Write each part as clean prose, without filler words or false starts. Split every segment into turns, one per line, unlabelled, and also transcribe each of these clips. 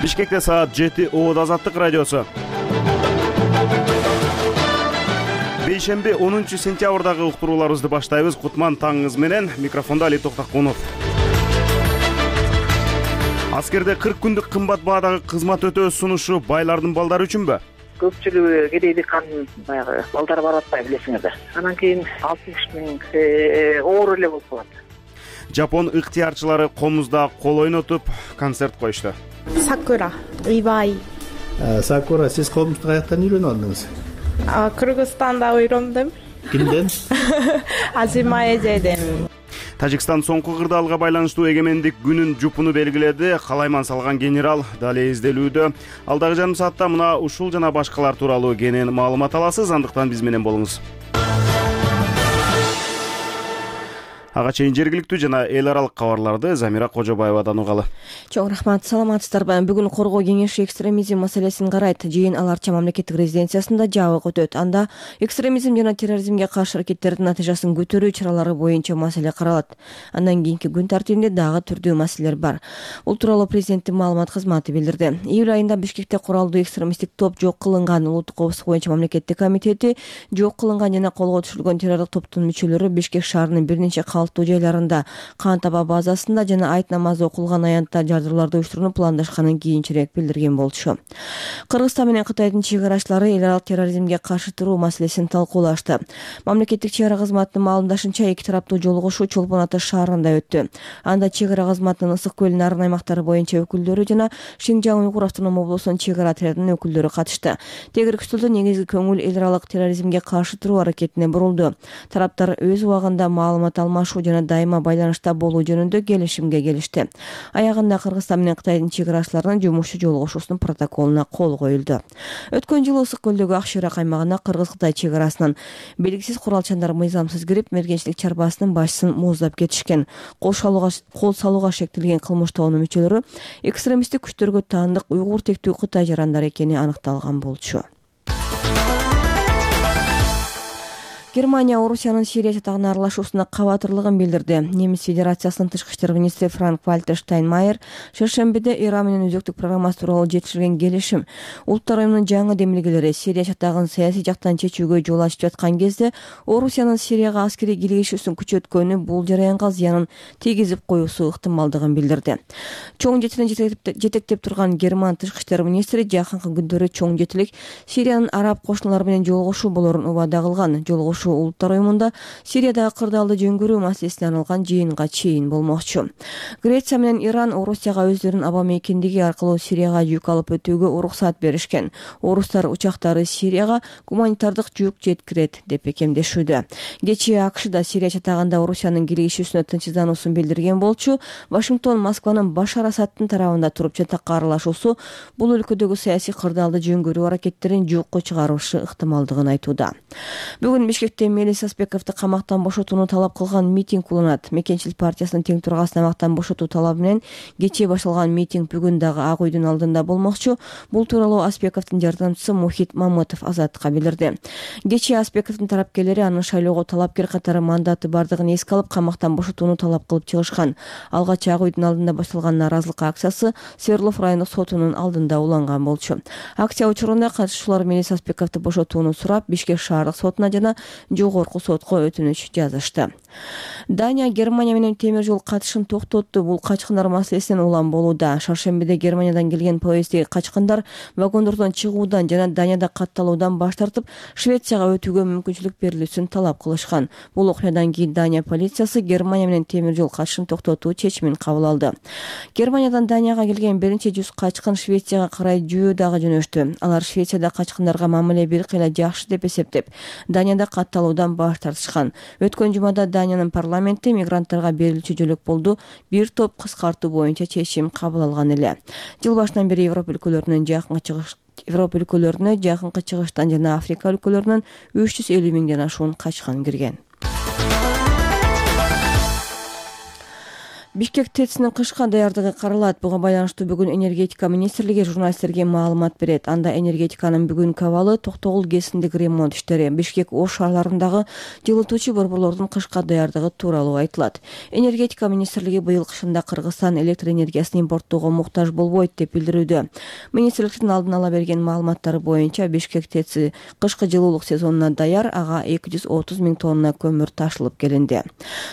Бишкекте саат 7 Оот Азаттык радиосу. Бейшемби 10 сентябрдагы уктурууларыбызды баштайбыз. Кутман таңыңыз менен, микрофондо Али Токтакунов. Аскерде 40 күндүк кымбат баадагы кызмат өтөө сунушу байлардын балдары үчүнбү?
Көпчүлүгү кедейдик кандын баягы балдары барып атпайбы, билесиңерди. Анан кийин 60 миң оор эле болуп калат.
Жапон ыктыярчылары Комузда кол ойнотуп концерт коюшту.
Сакура, Ибай.
Сакура, сиз Комузду каяктан үйрөнүп алдыңыз?
Кыргызстанда үйрөндүм.
Кимден?
Азима эжеден.
Тажикстан соңку кырдаалга байланыштуу эгемендик күнүн жупуну белгиледи. Калайман салган генерал дале изделүүдө. Алдагы жарым саатта мына ушул жана башкалар тууралуу кенен маалымат аласыз. Андыктан биз менен болуңуз. Ага чейин жергиликтүү жана эл аралык кабарларды Замира Кожобаевадан угалы.
Чоң рахмат, саламатсыздарбы? Бүгүн Коргоо кеңеши экстремизм маселесин карайт. Жыйын Аларча мамлекеттик резиденциясында жабык өтөт. Анда экстремизм жана терроризмге каршы аракеттердин натыйжасын көтөрүү чаралары боюнча маселе каралат. Андан кийинки күн тартибинде дагы түрдүү маселелер бар. Бул тууралуу президенттин маалымат кызматы билдирди. Июль айында Бишкекте куралдуу экстремисттик топ жок кылынган. Улуттук коопсуздук боюнча мамлекеттик комитети жок кылынган жана колго түшүрүлгөн террорлук топтун мүчөлөрү Бишкек шаарынын бир нече калыптуу жайларында Кан Таба базасында жана айт намазы окулган аянтта жардырларды уюштурууну пландашканын кийинчерээк билдирген болчу. Кыргызстан менен Кытайдын чек арачылары эл аралык терроризмге каршы туруу маселесин талкуулашты. Мамлекеттик чек ара кызматынын маалымдашынча, эки тараптуу жолугушуу Чолпон Ата шаарында өттү. Анда чек ара кызматынын Ысык көлүнүн нарын аймактары боюнча өкүлдөрү жана Шинжаң Уйгур автоном облусунун чек ара отрядынын өкүлдөрү катышты. Тегеркүстөлдө негизги көңүл эл аралык терроризмге каршы туруу аракетине бурулду. Тараптар өз убагында маалымат алмашуу жана дайыма байланышта болуу жөнүндө келишимге келишти. Аягында Кыргызстан менен Кытайдын чек арачыларынын жумушчу жолугушуусунун протоколуна кол коюлду. Өткөн жылы Ысык көлдөгү Ак Шыйрак аймагына Кыргыз-Кытай чек арасынан белгисиз куралчандар мыйзамсыз кирип, мергенчилик чарбасынын башчысын мууздап кетишкен. Кол салууга шектелген кылмыш тобунун мүчөлөрү экстремисттик күчтөргө таандык уйгур тектүү Кытай жарандары экени аныкталган болчу. Германия Орусиянын Сирия чатагына аралашуусуна кабатырлыгын билдирди. Немис Федерациясынын тышкы иштер министри Франк-Вальтер Штайнмайер шершембиде Иран менен өзөктүк программасы тууралуу жетишилген келишим, Улуттар уюмунун жаңы демилгелери Сирия чатагын саясий жактан чечүүгө жол ачып жаткан кезде Орусиянын Сирияга аскерий киргизүүсүн күчөткөнү бул жараянга зыянын тийгизип коюусу ыктымалдыгын билдирди. Чоң жетилин жетектеп турган Герман тышкы иштер министри жакынкы күндөрү чоң жетилик Сириянын араб кошуналары менен жолугушуу болорун убада кылган. Улуттар уюмунда Сириядагы кырдаалды жөнгөрүү маселесине арналган жыйынга чейин болмокчу. Греция менен Иран Орусияга өздөрүнүн аба мейкиндиги аркылуу Сирияга жүк алып өтүүгө уруксат беришкен. Орустар учактары Сирияга гуманитардык жүк жеткирет деп бекемдешүүдө. Кечээ АКШ да Сирия чатагында Орусиянын киргизүүсүнө тынчсыздануусун билдирген болчу. Вашингтон Москванын Башар Асадтын тарабында туруп чатакка аралашуусу бул өлкөдөгү саясий кырдаалды жөнгөрүү аракеттерин жокко чыгарушу ыктымалдыгын айтууда. Бүгүн Бишкекте Мелис Аспековду камактан бошотууну талап кылган митинг уланат. Мекенчилик партиясынын тең тургасын аймактан бошотуу талабы менен кечээ башталган митинг бүгүн дагы Ак үйдүн алдында болмокчу. Бул тууралуу Аспековдун жардамчысы Мухит Мамытов Азаттыкка билдирди. Кечээ Аспековдун тарапкерлери аны шайлоого талапкер катары мандаты бардыгын эске алып, камактан бошотууну талап кылып чыгышкан. Алгач Ак үйдүн алдында башталган нааразылык акциясы Свердлов райондук сотунун алдында уланган болчу. Акция учурунда катышуучулар Мелис Аспековду бошотууну сурап, Бишкек шаардык сотуна жана жогорку сотко өтүнүч жазышты. Дания Германия менен темир жол катышын токтотту. Бул качкындар маселесинен улам болууда. Шаршембиде Германиядан келген поезддеги качкындар вагондордон чыгуудан жана Данияда катталуудан баш тартып, Швецияга өтүүгө мүмкүнчүлүк берилүүсүн талап кылышкан. Бул окуядан кийин Дания полициясы Германия менен темир жол катышын токтотуу чечимин кабыл алды. Германиядан Данияга келген 100 качкын Швецияга карай жөө дагы жөнөштү. Алар Швецияда качкындарга мамиле бир кыйла жакшы деп эсептеп, Данияда катталуудан баш тартышкан. Өткөн жумада Даниянын парламенти мигранттарга берилүүчү жөлөкпулду бир топ кыскартуу боюнча чечим кабыл алган эле. Жыл башынан бери Европа өлкөлөрүнө жакынкы чыгыштан жана Африка өлкөлөрүнөн 350 миңден ашуун качкан кирген. Бишкек ТЭЦинин кышка даярдыгы каралат. Буга байланыштуу бүгүн энергетика министрлиги журналисттерге маалымат берет. Анда энергетиканын бүгүнкү абалы токтогул КЭСиндеги ремонт иштери, Бишкек Ош шаарларындагы жылытуучу борборлордун кышка даярдыгы тууралуу айтылат. Энергетика министрлиги быйыл кышында Кыргызстан электр энергиясын импорттоого муктаж болбойт деп билдирүүдө. Министрликтин алдын ала берген маалыматтары боюнча Бишкек ТЭЦи кышкы жылуулук сезонуна даяр, ага 230 000 тонна көмүр ташылып келинди.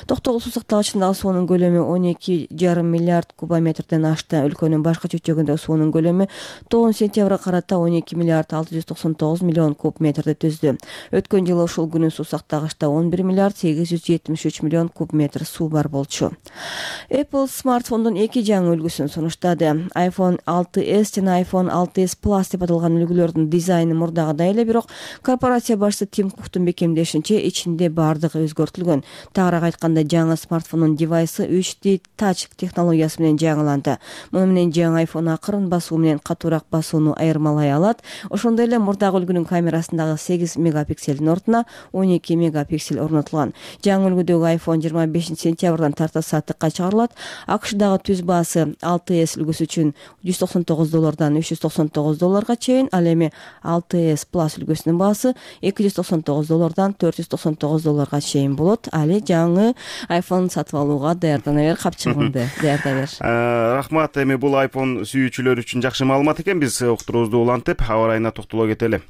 Токтогул суу сактагычындагы суунун көлөмү 12,5 миллиард кубометрден ашты. Өлкөнүн башка чөйрөгүндөгү суунун көлөмү 9 сентябрга карата 12 миллиард 699 миллион куб метрди түздү. Өткөн жылы ушул күнү суу сактагычта 11 миллиард 873 миллион куб метр суу бар болчу. Apple смартфондун 2 жаңы үлгүсүн сунуштады. iPhone 6s жана iPhone 6s Plus деп аталган үлгүлөрдүн дизайны мурдагыдай эле, бирок корпорация башчысы Тим Куктун бекемдешинче ичинде бардыгы өзгөртүлгөн. Тагыраак айтканда, жаңы смартфондун девайсы 3D Touch технологиясы менен жаңыланды. Муну менен жаңы iPhone акырын басуу менен катуураак басууну айырмалай алат. Ошондой эле мурдагы үлгүнүн камерасындагы 8 мегапикселдин ордуна 12 мегапиксель орнотулган. Жаңы үлгүдөгү iPhone 25 сентябрдан тарта сатыкка чыгарылат. AQShdагы түз баасы 6s үлгүсү үчүн $199 $399 чейин, ал эми 6s Plus үлгүсүнүн баасы $299 $499 чейин болот. Али жаңы iPhone сатып алууга даярдана бер, капчыгыңды даярда бер.
Рахмат. Эми бул iPhone сүйүүчүлөр үчүн жакшы маалымат экен. Биз уктуруубузду улантып, аба ырайына токтоло кетели.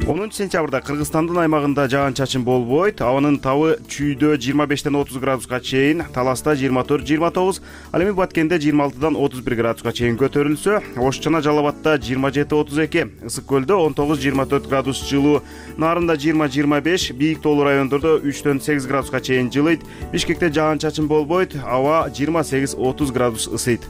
10 сентябрда Кыргызстандын аймагында жаан-чачын болбойт. Абанын табы чүйдө 25-тен 30 градуска чейин, Таласта 24-29, ал эми Баткенде 26-дан 31 градуска чейин көтөрүлсө, Ош жана Жалал Абадта 27-32, Ысык Көлдө 19-24 градус жылуу, Нарында 20-25, бийик тоолуу райондордо 3-төн 8 градуска чейин жылыйт. Бишкекте жаан-чачын болбойт, аба 28-30 градус ысыйт.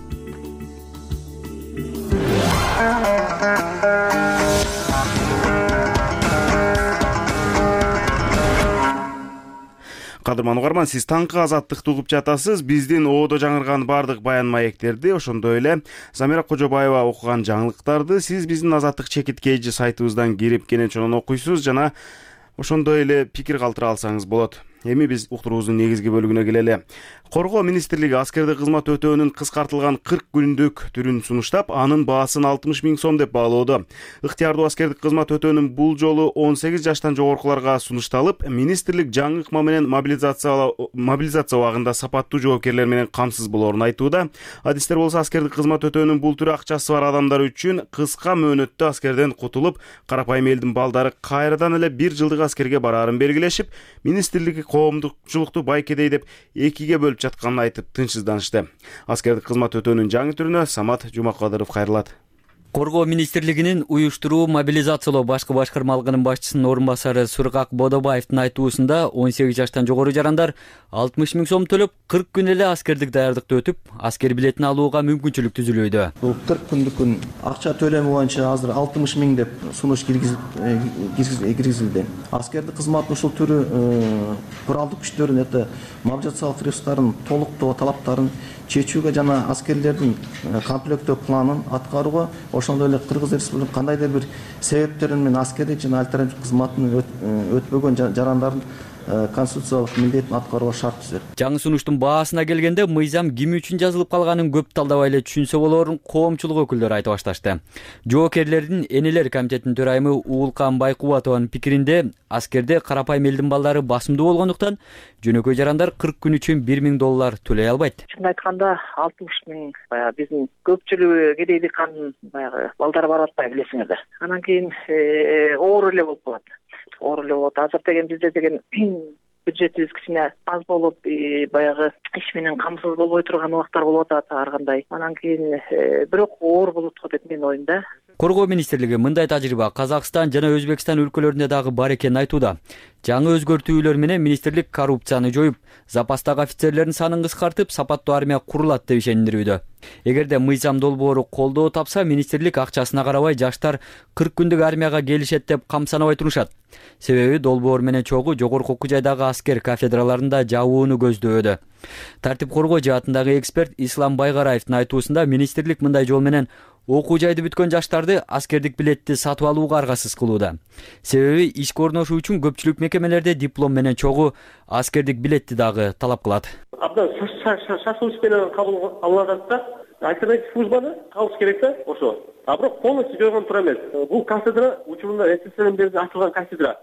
Кадырман угарман, сиз таңкы азаттыкты угуп жатасыз. Биздин оодо жаңырган бардык баян маектерди, ошондой эле Замира Кожобаева окуган жаңылыктарды сиз биздин Азаттык чекиткейжи сайтыбыздан кирип кенен чонон окуйсуз жана ошондой эле пикир калтыра алсаңыз болот. Эми биз уктуруубуздун негизги бөлүгүнө келели. Коргоо министрлиги аскердик кызмат өтөөнүн кыскартылган 40 күндүк түрүн сунуштап, анын баасын 60 000 сом деп баалоодо. Ыктыярдуу аскердик кызмат өтөөнүн бул жолу 18 жаштан жогоркуларга сунушталып, министрлик жаңы ыкма менен мобилизация убагында сапаттуу жоопкерлер менен камсыз болоорун айтууда. Адистер болсо аскердик кызмат өтөөнүн бул түрү акчасы бар адамдар үчүн кыска мөөнөттө аскерден кутулуп, карапайым элдин балдары кайрадан эле 1 жылдык аскерге бараарын белгилешип, министрлик коомдукчулукту байкедей деп экиге бөлүп жатканын айтып тынчсызданышты. Аскердик кызмат өтөөнүн жаңы түрүнө Самат Жумакадыров кайрылат.
Коргоо министрлигинин уюштуруу мобилизациялоо башкы башкармалыгынын башчысынын орун басары Сургак Бодобаевдин айтуусунда 18 жаштан жогору жарандар 60 000 сом төлөп 40 күн эле аскердик даярдыкты өтүп, аскер билетин алууга мүмкүнчүлүк түзүлүүдө.
Бул 40 күндүк акча төлөмү боюнча азыр 60 000 деп сунуш киргизилди. Аскердик кызматтын ушул түрү куралдык күчтөрдүн мобилизациялык ресурстарын толуктоо талаптарын чечүүгө жана аскерлердин комплектөө планын аткарууга, ошондой эле Кыргыз Республикасынын кандайдыр бир себептерин менен аскердик жана альтернатив кызматын өтпөгөн жарандардын конституциялык милдетин аткарууга шарт түзөт.
Жаңы сунуштун баасына келгенде мыйзам ким үчүн жазылып калганын көп талдабай эле түшүнсө болоорун коомчулук өкүлдөрү айтып башташты. Жоокерлердин энелер комитетинин төрайымы Уулкан Байкубатованын пикиринде, аскерде карапайым элдин балдары басымдуу болгондуктан жөнөкөй жарандар 40 күн үчүн $1000 төлөй албайт.
Чын айтканда 60 000 баягы биздин көпчүлүгү кедей дыйкандын баягы балдары барып атпайбы, билесиңер да. Анан кийин оор эле болуп калат. Оор эле болот. Азыр деген бизде деген бюджетибиз кичине аз болуп, баягы иш менен камсыз болбой турган убактар болуп атат ар кандай. Анан кийин бирок оор болот го деп менин оюмда.
Коргоо министрлиги мындай тажрыйба Казакстан жана Өзбекстан өлкөлөрүндө дагы бар экенин айтууда. Жаңы өзгөртүүлөр менен министрлик коррупцияны жоюп, запастагы офицерлердин санын кыскартып, сапаттуу армия курулат деп ишендирүүдө. Эгерде мыйзам долбоору колдоо тапса, министрлик акчасына карабай жаштар 40 күндүк армияга келишет деп камсанабай турушат. Себеби долбоор менен чогуу жогорку окуу жайдагы аскер кафедраларында жабууну көздөөдө. Тартип коргоо жаатындагы эксперт Ислам Байгараевдин айтуусунда министрлик мындай жол менен окуу жайды бүткөн жаштарды аскердик билетти сатып алууга аргасыз кылууда. Себеби ишке орношуу үчүн көпчүлүк мекемелерде диплом менен чогуу аскердик билетти дагы талап кылат.
Абдан шашылыш менен кабыл алынып атат да. Альтернатив службаны калыш керек да ошо. А бирок полностью жойгон тура эмес. Бул кафедра учурунда СССРден бери ачылган кафедра.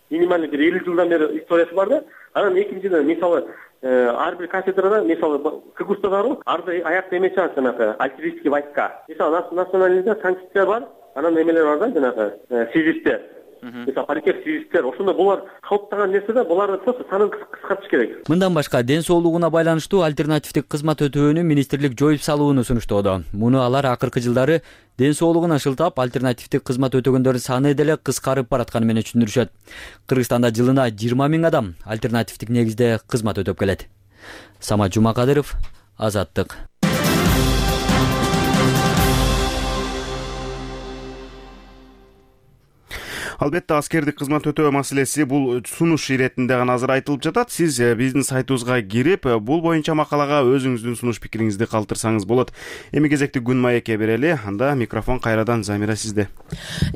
Минималдуу бир 50 жылдан бери историясы бар да. Анан экинчиден мисалы ар бир кафедрада мисалы КГУСта барбы? Арда аякта эме чыгат жанагы артиллерийский войска. Мисалы национализде санкция бар, анан эмелер бар да жанагы связисттер. Мисалы парикер связисттер. Ошондо булар калыптаган нерсе да, буларды просто санын кыскартыш керек.
Мындан башка ден соолугуна байланыштуу альтернативдик кызмат өтөөнү министрлик жоюп салууну сунуштоодо. Муну алар акыркы жылдары ден соолугуна шылтап альтернативдик кызмат өтөгөндөрдүн саны деле кыскарып баратканы менен түшүндүрүшөт. Кыргызстанда жылына 20 000 адам альтернативдик негизде кызмат өтөп келет. Самат Жумакадыров, Азаттык.
Албетте аскердик кызмат өтөө маселеси бул сунуш иретинде гана азыр айтылып жатат. Сиз биздин сайтыбызга кирип, бул боюнча макалага өзүңүздүн сунуш пикириңизди калтырсаңыз болот. Эми кезекти Күн маекке берели. Анда микрофон кайрадан Замира сизде.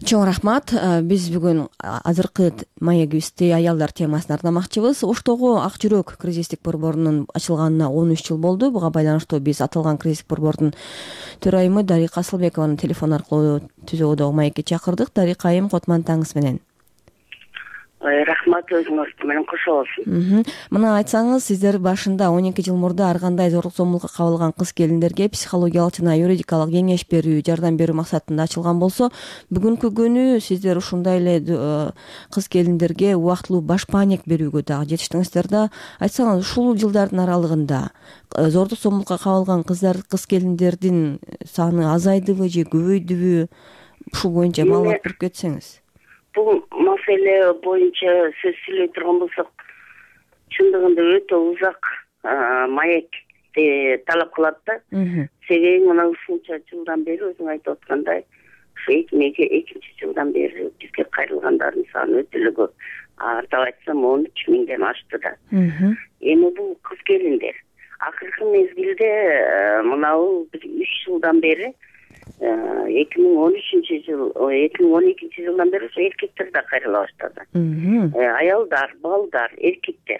Чоң рахмат. Биз бүгүн азыркы маегибизди аялдар темасына арнамакчыбыз. Оштогу Ак жүрөк кризистик борборунун ачылганына 13 жыл болду. Буга байланыштуу биз аталган кризистик борбордун төрайымы Дарика Асылбекованы телефон аркылуу түзөөдөгү маекке чакырдык. Дарика айым, котман таңыңыз менен.
Рахмат, өзүңүз менен кошо болсун.
Мына айтсаңыз, сиздер башында 12 жыл мурда ар кандай зорлук зомбулукка кабылган кыз келиндерге психологиялык жана юридикалык кеңеш берүү, жардам берүү максатында ачылган болсо, бүгүнкү күнү сиздер ушундай эле кыз келиндерге убактылуу баш паник берүүгө дагы жетиштиңиздер да. Айтсаңыз, ушул жылдардын аралыгында зордук зомбулукка кабылган кыз келиндердин саны азайдыбы же көбөйдүбү? Ушул боюнча маалымат берип кетсеңиз.
Бул маселе боюнча сөз сүйлөй турган болсок, чындыгында өтө узак маекти талап кылат да. Себеби мына ушунча жылдан бери өзүң айтып аткандай, ушу 2002 жылдан бери бизге кайрылгандардын саны өтө эле көп. Артап айтсам 13 000ден ашты да. Эми бул кыз келиндер акыркы мезгилде мынабу 3 жылдан бери 2013 жыл, 2012 жылдан бери ушу эркектер да кайрыла баштады. Аялдар, балдар, эркектер.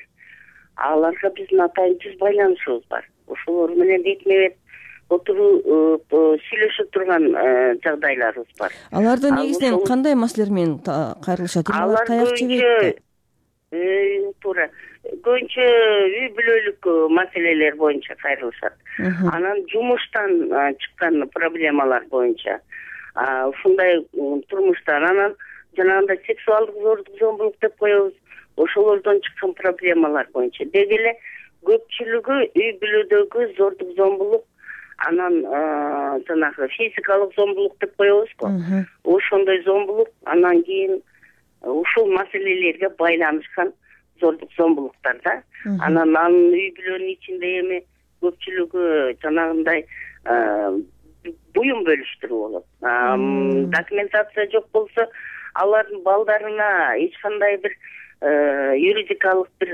Аларга биздин атайын түз байланышыбыз бар. Ошолор менен бетме-бет отуруп сүйлөшүп турган жагдайларыбыз бар.
Аларда негизинен кандай маселелер менен кайрылышат? Алар таяк жебейт? Туура.
Көбүнчө үй бүлөлүк маселелер боюнча кайрылышат. Анан жумуштан чыккан проблемалар боюнча, ушундай турмуштан, анан жанагындай сексуалдык зордук зомбулук деп коебуз, ошолордон чыккан проблемалар боюнча. Деги эле көпчүлүгү үй бүлөдөгү зордук зомбулук, анан жанагы физикалык зомбулук деп коебузго. Ошондой зомбулук, анан кийин ушул маселелерге байланышкан зордук зомбулуктар да. Анан үй бүлөнүн ичинде эми көпчүлүгү жанагындай буюм бөлүштүрүү болот. Документация жок болсо, алардын балдарына эч кандай бир юридикалык бир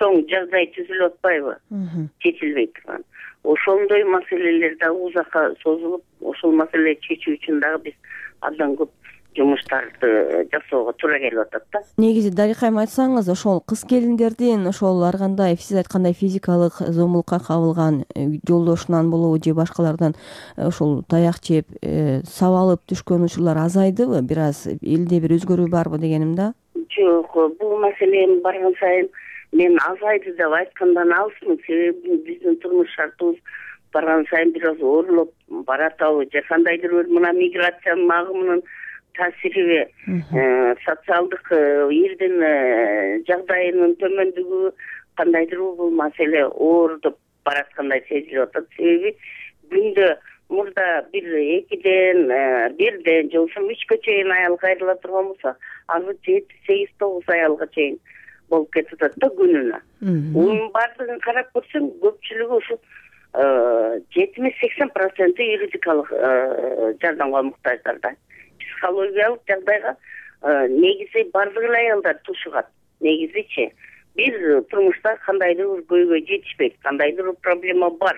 чоң жагдай түзүлүп атпайбы? Чечилбей турган. Ошондой маселелер да узакка созулуп, ошол маселени чечүү үчүн дагы биз абдан көп жумуштарды жасоого туура келип атат да.
Негизи Дарикайым айтсаңыз, ошол кыз келиндердин ошол ар кандай сиз айткандай физикалык зомбулукка кабылган жолдошунан болобу же башкалардан ошол таяк жеп сабалып түшкөн учурлар азайдыбы? Бир аз элде бир өзгөрүү барбы дегеним да?
Жок, бул маселени барган сайын мен азайды деп айткандан алысмын. Себеби биздин турмуш шартыбыз барган сайын бир аз оорулуп баратабы же кандайдыр бир мына миграциянын агымынын таасириби, социалдык элдин жагдайынын төмөндүгү кандайдыр бул маселе оорутуп бараткандай сезилип атат. Себеби күндө мурда 1-2ден, 1ден же ошо 3кө чейин аял кайрыла турган болсо, азыр 7-8-9 аялга чейин болуп кетип атат да күнүнө. Унун баардыгын карап көрсөң, көпчүлүгү ушу 70-80% юридикалык жардамга муктаждар да. Психологиялык жагдайга негизи бардык эле аялдар тушугат. Негизичи бир турмушта кандайдыр бир көйгөй жетишпейт, кандайдыр бир проблема бар.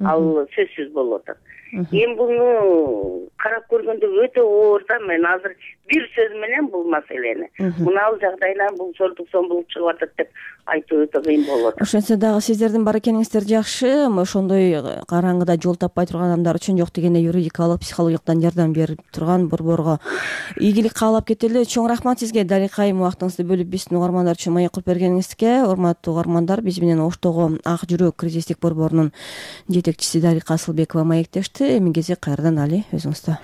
Ал сөзсүз болуп атат. Эми буну карап көргөндө өтө оор да. Мен азыр бир сөз менен бул маселени мынабул жагдайдан бул чоңдук сомбулук чыгып атат деп айтуу өтө кыйын болот.
Ошентсе дагы сиздердин бар экениңиздер жакшы. Ошондой караңгыда жол таппай турган адамдар үчүн жок дегенде юридикалык, психологиялык жардам берип турган борборго ийгилик каалап кетели. Чоң рахмат сизге далекайым убактыңызды бөлүп биздин угармандар үчүн маек кылып бергениңизге. Урматтуу угармандар, биз менен Оштогу Ак жүрөк кризистик борборунун жетекчиси Дарика Асылбекова маектешти. Эми кезек кайрадан Али өзүңүздө.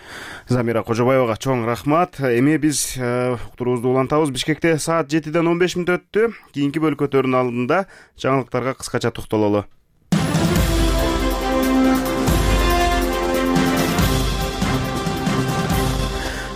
Замира Кожобаевага чоң рахмат. Эми биз уктуруубузду улантабыз. Бишкекте саат 7:15 өттү. Кийинки бөлкөтөрдүн алдында жаңылыктарга кыскача токтололу.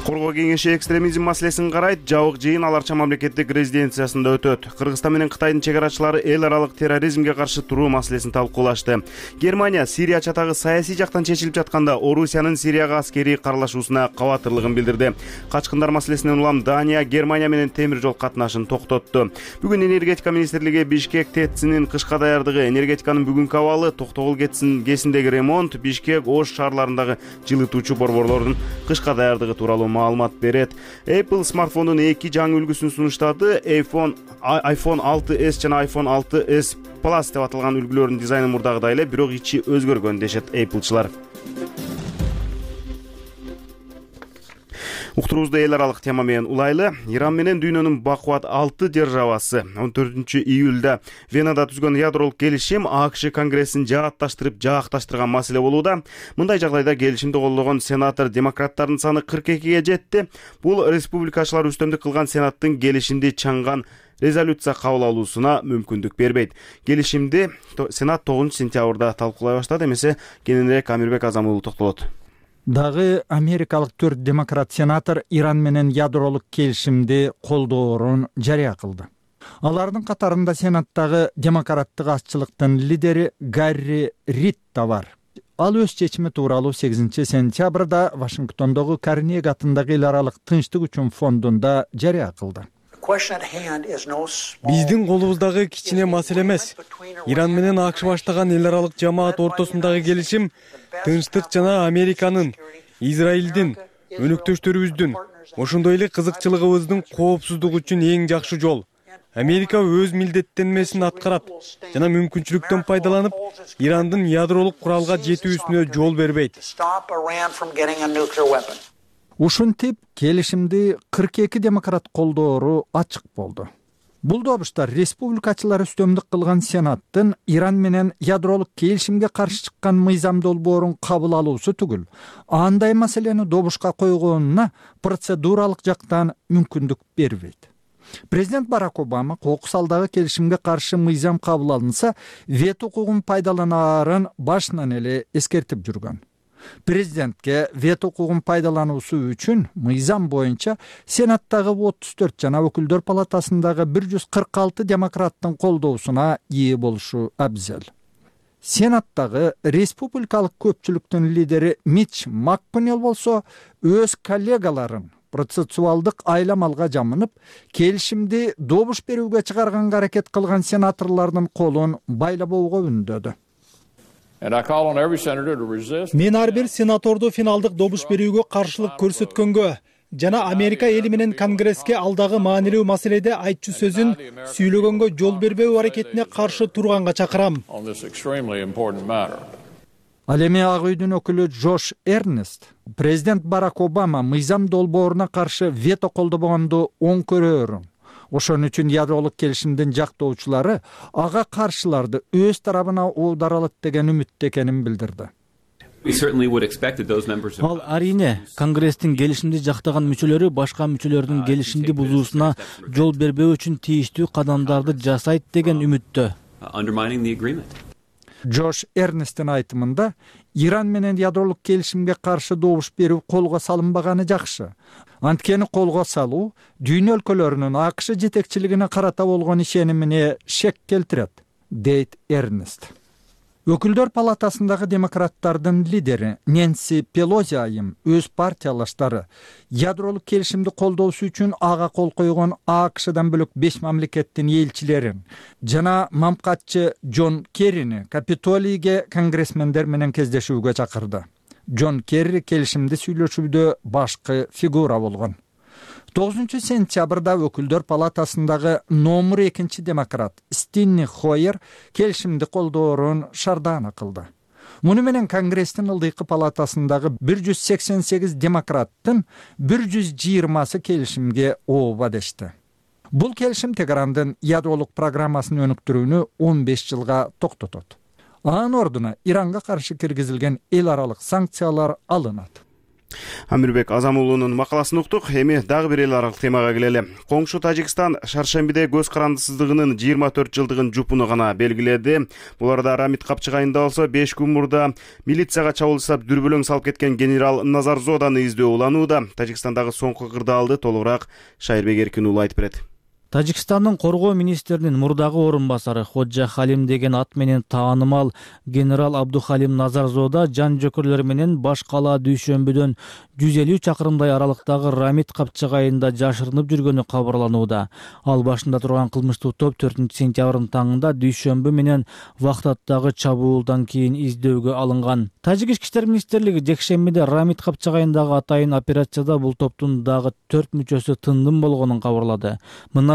Коргоо кеңеши экстремизм маселесин карайт. Жабык жыйын Ал Арча мамлекеттик резиденциясында өтөт. Кыргызстан менен Кытайдын чек арачылары эл аралык терроризмге каршы туруу маселесин талкуулашты. Германия Сирия чатагы саясий жактан чечилип жатканда Орусиянын Сирияга аскерий каралашуусуна кабатырлыгын билдирди. Качкындар маселесинен улам Дания Германия менен темир жол катнашын токтотту. Бүгүн энергетика министрлиги Бишкек ТЭЦинин кышка даярдыгы, энергетиканын бүгүнкү абалы, Токтогул КЭЦиндеги ремонт, Бишкек, Ош шаарларындагы жылытуучу борборлордун кышка даярдыгы тууралуу маалымат берет. Apple смартфондун 2 жаңы үлгүсүн сунуштады. iPhone 6s жана iPhone 6s Plus деп аталган үлгүлөрдүн дизайны мурдагыдай эле, бирок ичи өзгөргөн дешет Appleчылар. Уктуруубузду эл аралык тема менен улайлы. Иран менен дүйнөнүн бакубат 6 державасы 14-июлда Венада түзгөн ядролук келишим АКШ конгрессин жаакташтырган маселе болууда. Мындай жагдайда келишимди колдогон сенатор демократтардын саны 42ге жетти. Бул республикачылар үстөмдүк кылган сенаттын келишимди чаңган резолюция кабыл алуусуна мүмкүндүк бербейт. Келишимди сенат 9-сентябрда талкуулай баштады. Эмесе кененирээк Амирбек Азамулов токтолот.
Дагы америкалык 4 демократ сенатор Иран менен ядролук келишимди колдоорун жарыя кылды. Алардын катарында сенаттагы демократтык азчылыктын лидери Гарри Рид да бар. Ал өз чечими тууралуу 8-сентябрда Вашингтондогу Карнеги атындагы эл аралык тынчтык үчүн фондунда жарыя кылды.
Биздин колубуздагы кичине маселе эмес. Иран менен АКШ баштаган эл аралык жамаат ортосундагы келишим тынчтык жана Американын, Израилдин, өнөктөштөрүбүздүн, ошондой эле кызыкчылыгыбыздын коопсуздугу үчүн эң жакшы жол. Америка өз милдеттенмесин аткарат жана мүмкүнчүлүктөн пайдаланып, Ирандын ядролук куралга жетүүсүнө жол бербейт.
Ушинтип келишимди 42 демократ колдоору ачык болду. Бул добуштар республикачылар үстөмдүк кылган сенаттын Иран менен ядролук келишимге каршы чыккан мыйзам долбоорун кабыл алуусу түгүл, андай маселени добушка койгонуна процедуралык жактан мүмкүндүк бербейт. Президент Барак Обама кокус алдагы келишимге каршы мыйзам кабыл алынса, вето укугун пайдаланаарын башынан эле эскертип жүргөн. Президентке вето укугун пайдалануусу үчүн мыйзам боюнча сенаттагы 34 жана өкүлдөр палатасындагы 146 демократтын колдоосуна ээ болушу абзел. Сенаттагы республикалык көпчүлүктүн лидери Митч Макконнелл болсо өз коллегаларын процессуалдык айламалга жамынып, келишимди добуш берүүгө чыгарганга аракет кылган сенаторлордун колун байлабоого үндөдү.
Мен ар бир сенаторду финалдык добуш берүүгө каршылык көрсөткөнгө жана Америка эли менен Конгресске алдагы маанилүү маселеде айтчу сөзүн сүйлөгөнгө жол бербөө аракетине каршы турганга чакырам.
Ал эми Ак үйдүн өкүлү Джош Эрнест президент Барак Обама мыйзам долбооруна каршы вето колдобогонду оң көрөөрүн. Ошон үчүн ядролук келишимдин жактоочулары ага каршыларды өз тарабына оодаралат деген үмүттө экенин билдирди.
Ал арине Конгресстин келишимди жактаган мүчөлөрү башка мүчөлөрдүн келишимди бузуусуна жол бербөө үчүн тийиштүү кадамдарды жасайт деген үмүттө.
Джош Эрнесттин айтымында Иран менен ядролук келишимге каршы добуш берүү колго салынбаганы жакшы. Анткени колго салуу дүйнө өлкөлөрүнүн АКШ жетекчилигине карата болгон ишенимине шек келтирет, дейт Эрнест. Өкүлдөр палатасындагы демократтардын лидери Нэнси Пелози айым өз партиялаштары ядролук келишимди колдоосу үчүн ага кол койгон АКШдан бөлөк 5 мамлекеттин элчилерин жана мамкатчы Джон Керрини Капитолийге конгрессмендер менен кездешүүгө чакырды. Джон Керри келишимди сүйлөшүүдө башкы фигура болгон. 9 сентябрда өкүлдөр палатасындагы номер 2 демократ Стенни Хойер келишимди колдоорун шардаана кылды. Муну менен Конгресстин ылдыйкы палатасындагы 188 демократтын 120сы келишимге ооба дешти. Бул келишим Теһрандын ядролук программасын өнүктүрүүнү 15 жылга токтотот. Анын ордуна Иранга каршы киргизилген эл аралык санкциялар алынат.
Амирбек Азамулунун макаласын уктук. Эми дагы бир эл аралык темага келели. Коңшу Тажикстан шаршембиде көз карандысыздыгынын 24 жылдыгын жупуну гана белгиледи. Буларда Рамит Капчыгайында болсо 5 күн мурда милицияга чабуул жасап дүрбөлөң салып кеткен генерал Назарзоданы издөө уланууда. Тажикстандагы соңку кырдаалды толугураак Шайырбек Эркин уулу айтып берет.
Тажикстандын коргоо министринин мурдагы орун басары Ходжа Халим деген ат менен таанымал генерал Абдухалим Назарзода жан жөкөрлөр менен баш кала дүйшөмбүдөн 150 чакырымдай аралыктагы Рамит Капчыгайында жашырынып жүргөнү кабарланууда. Ал башында турган кылмыштуу топ 4 сентябрдын таңында дүйшөмбү менен Вахтаттагы чабуулдан кийин издөөгө алынган. Тажик ички иштер министрлиги жекшембиде Рамит Капчыгайындагы атайын операцияда бул топтун дагы 4 мүчөсү тындым болгонун кабарлады.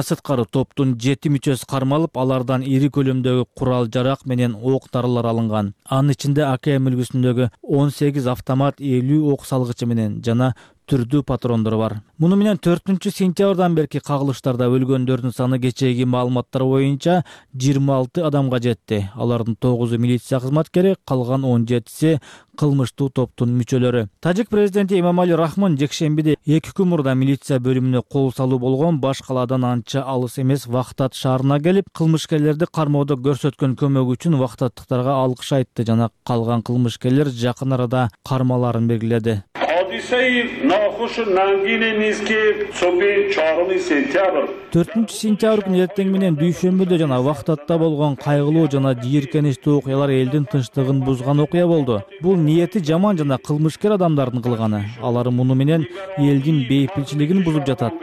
Сырткары топтун 7 мүчөсү кармалып, алардан ири көлөмдөгү курал жарак менен ок дарылар алынган. Анын ичинде АК мүлгүсүндөгү 18 автомат, 50 ок салгычы менен жана түрдүү патрондор бар. Муну менен 4 сентябрдан берки кагылыштарда өлгөндөрдүн саны кечээги маалыматтар боюнча 26 адамга жетти. Алардын 9-у милиция кызматкери, калган 17-си кылмыштуу топтун мүчөлөрү. Тажик президенти Эмомали Рахмон жекшембиде 2 күн мурда милиция бөлүмүнө кол салуу болгон баш калаадан анча алыс эмес Вахтат шаарына келип, кылмышкерлерди кармоодо көрсөткөн көмөгү үчүн вахтаттыктарга алкыш айтты жана калган кылмышкерлер жакын арада кармаларын белгиледи. Төртүнчү сентябрь күнү эртең менен дүйшөмбүдө жана Вахтатта болгон кайгылуу жана жийиркеничтүү окуялар элдин тынчтыгын бузган окуя болду. Бул ниети жаман жана кылмышкер адамдардын кылганы. Алар муну менен элдин бейпилчилигин бузуп жатат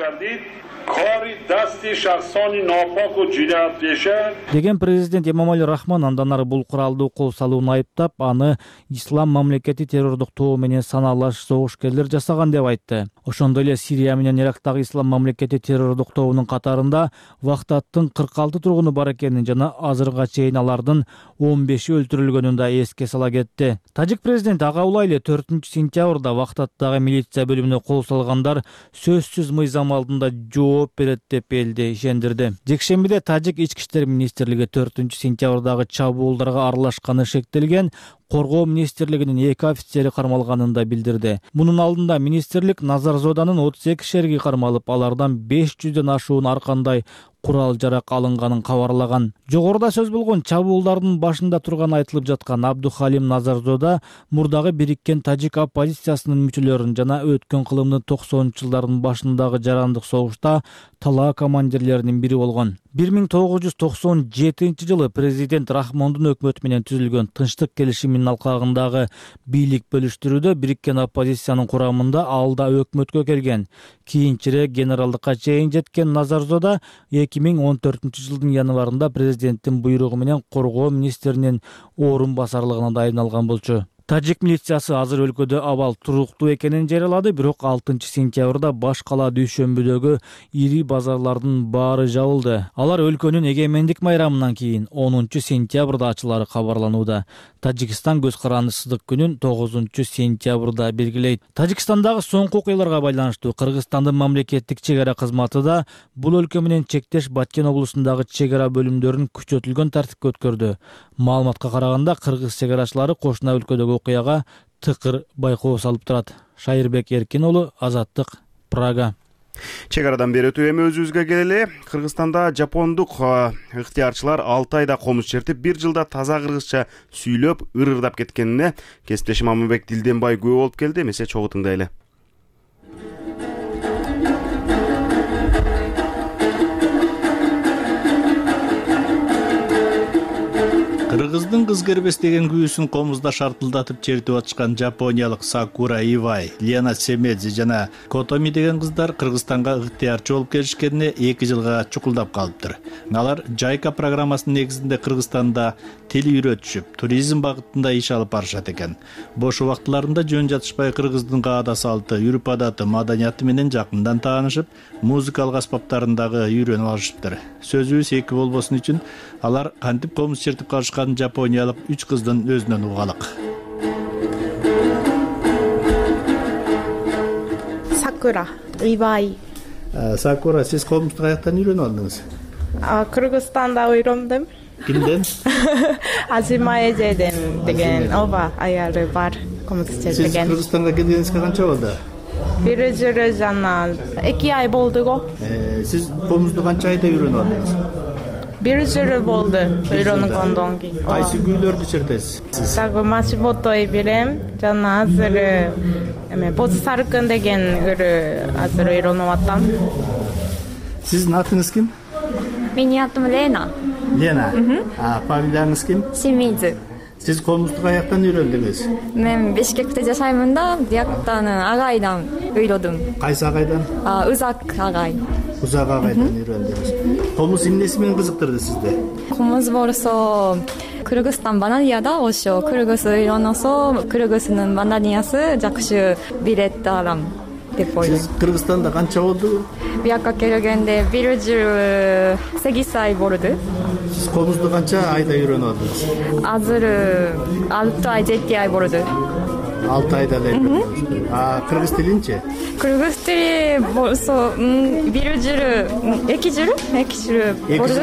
деген президент Эмомали Рахмон андан ары бул куралдуу кол салууну айыптап, аны ислам мамлекети террордук тобу менен саналаш согушкерлер жасаган деп айтты. Ошондой эле Сирия менен Ирактагы ислам мамлекети террордук тобунун катарында Вахтаттын 46 тургуну бар экенин жана азырга чейин алардын 15-и өлтүрүлгөнүн да эске сала кетти. Тажик президенти ага улай эле 4 сентябрда Вахтаттагы милиция бөлүмүнө кол салгандар сөзсүз мыйзам алдында жооп берет деп элди ишендирди. Жекшембиде Тажик ички иштер министрлиги 4 сентябрдагы чабуулдарга аралашканы шектелген Коргоо министрлигинин 2 офицери кармалганын да билдирди. Мунун алдында министрлик Назарзоданын 32 шериги кармалып, алардан 500дөн ашуун ар кандай курал жарак алынганын кабарлаган. Жогоруда сөз болгон чабуулдардын башында турган айтылып жаткан Абдухалим Назарзода мурдагы бириккен тажик оппозициясынын мүчөлөрүн жана өткөн кылымдын 90-жылдардын башындагы жарандык согушта талаа командирлеринин бири болгон. 1997 жылы президент Рахмондун өкмөтү менен түзүлгөн тынчтык келишиминин алкагындагы бийлик бөлүштүрүүдө бириккен оппозициянын курамында ал да өкмөткө келген. Кийинчерээк генералдыкка чейин жеткен Назарзода 2014 жылдын январында президенттин буйругу менен коргоо министринин орун басарлыгына дайындалган болчу. Тажик милициясы азыр өлкөдө абал туруктуу экенин жарыялады, бирок 6 сентябрда баш кала дүйшөмбүдөгү ири базарлардын баары жабылды. Алар өлкөнүн эгемендик майрамынан кийин 10 сентябрда ачылары кабарланууда. Тажикстан көз карандысыздык күнүн 9 сентябрда белгилейт. Тажикстандагы соңку окуяларга байланыштуу Кыргызстандын мамлекеттик чек ара кызматы да бул өлкө менен чектеш Баткен облусундагы чек ара бөлүмдөрүн күчөтүлгөн тартипке өткөрдү. Маалыматка караганда кыргыз чек арачылары кошуна өлкөдөгү окуяга тыкыр байкоо салып турат. Шайырбек Эркин уулу, Азаттык, Прага.
Чек арадан бери өтүп эми өзүбүзгө келели. Кыргызстанда жапондук ыктыярчылар 6 айда комуз чертип, 1 жылда таза кыргызча сүйлөп, ырырдап кеткенине кесиптешим Аманбек Дилденбай күбө болуп келди. Эмесе чогуу тыңдайлы.
Кыргыздын кыз кербес деген күүсүн комузда шартылдатып чертип атышкан жапониялык Сакура Ивай, Лена Семедзи жана Котоми деген кыздар Кыргызстанга ыктыярчы болуп келишкенине 2 жылга чукулдап калыптыр. Алар Жайка программасынын негизинде Кыргызстанда тил үйрөтүшүп, туризм багытында иш алып барышат экен. Бош убактыларында жөн жатышпай кыргыздын каада салты, үрп адаты, маданияты менен жакындан таанышып, музыкалык аспаптарын дагы үйрөнүп алышыптыр. Сөзүбүз эки болбосун үчүн алар кантип комуз чертип калышкан жапониялык 3 кыздын өзүнөн угалык.
Сакура, Ивай.
Сакура, сиз комузду каяктан үйрөнүп алдыңыз?
Кыргызстанда үйрөндүм.
Кимден?
Азима эжеден деген ооба аялы бар комуз черткен.
Сиз Кыргызстанга келгениңизге канча болду?
1 жыл жана 2 ай болду го.
Сиз комузду канча айда үйрөнүп алдыңыз?
1 жыл болду үйрөнгөндөн кийин.
Кайсы күүлөрдү чертесиз?
Дагы Машимотой билем, жана азыр Боз Саркын деген азыр үйрөнүп атам.
Сиздин атыңыз ким?
Менин атым Лена.
Лена. Фамилияңыз ким?
Семидзе.
Сиз комузду каяктан үйрөндүңүз?
Мен Бишкекте жашаймын да, бияктан агайдан үйрөдүм.
Кайсы агайдан?
Узак агай.
Узак агайдан үйрөндүңүз. Комуз эмнеси менен кызыктырды сизди?
Комуз болсо Кыргызстан бананияда ошо кыргыз үйрөнөсө, кыргыздын бананиясы жакшы билет алам деп ойлойм.
Сиз Кыргызстанда канча болду?
Бияка келгенде 1 жыл 8 ай болду.
Сиз комузду канча айда үйрөнүп алдыңыз?
Азыр 6 ай 7 ай болду.
6 айда эле үйрөндүңүз. Кыргыз тилинчи?
Кыргыз тили болсо 1 жыл 2 жыл болду.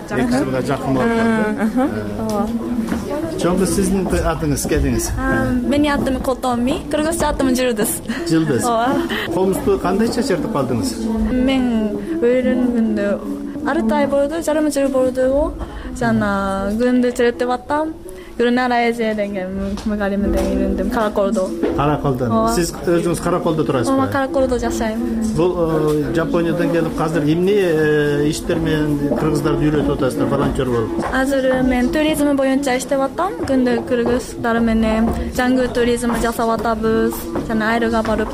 2 жылга жакын болду. Чоңгу сиздин атыңыз, келиңиз.
Менин атым Котоми, кыргызча атым Жылдыз.
Жылдыз. Комузду кандайча чертип алдыңыз?
Мен үйрөнгөндө 6 ай болду, жарым жыл болду. Жана күндү чертип аттам. Гүрнара эже деген мугалимден үйрөндүм, Караколдо.
Караколдон. Сиз өзүңүз Караколдо турасызбы?
Ооба, Караколдо жашайм.
Бул Жапониядан келип азыр эмне иштер менен кыргыздарды үйрөтүп атасыздар, волонтер болуп?
Азыр мен туризм боюнча иштеп аттам. Күндө кыргыздар менен жаңы туризм жасап атабыз, жана айрыга барып.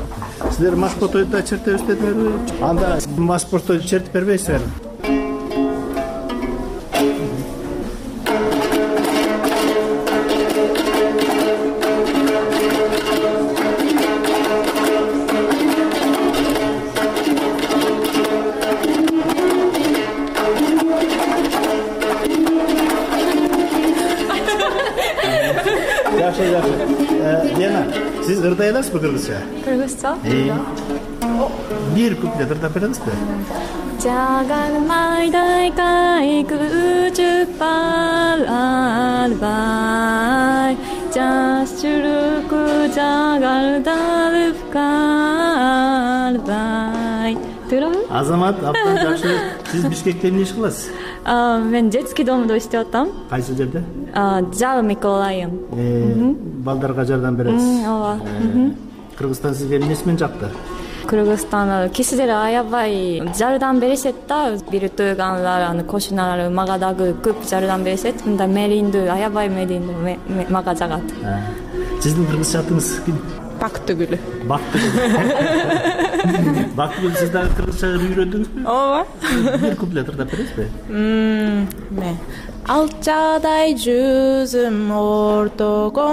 Сиздер Машпотойдо чертебиз дедиңерби? Анда Машпотойдо чертип бербейсиңерби? Лена, сиз ырдай аласызбы кыргызча?
Кыргызча?
Бир куплет ырдап бересизби?
Жаган майдай кайгы албай, жаш жүрөккө жагалданып калбай. Туурабы?
Азамат, абдан жакшы. Сиз Бишкекте эмне иш кыласыз?
Мен детский домдо иштеп атам.
Кайсы жерде?
Жал Миколайым.
Балдарга жардам бересиз.
Ооба.
Кыргызстан сизге эмнеси менен жакты?
Кыргызстан кишилер аябай жардам беришет да. Бир туугандар, кошуналар мага дагы көп жардам беришет. Мында мээриндүү, аябай мээриндүү мага жагат.
Сиздин кыргызча атыңыз ким?
Бактыгүл.
Бактыгүл. Бактыгүл, сиз дагы кыргызча үйрөндүңүзбү?
Ооба.
Бир куплет ырдап бересизби?
Алчадай жүзүм ортогон,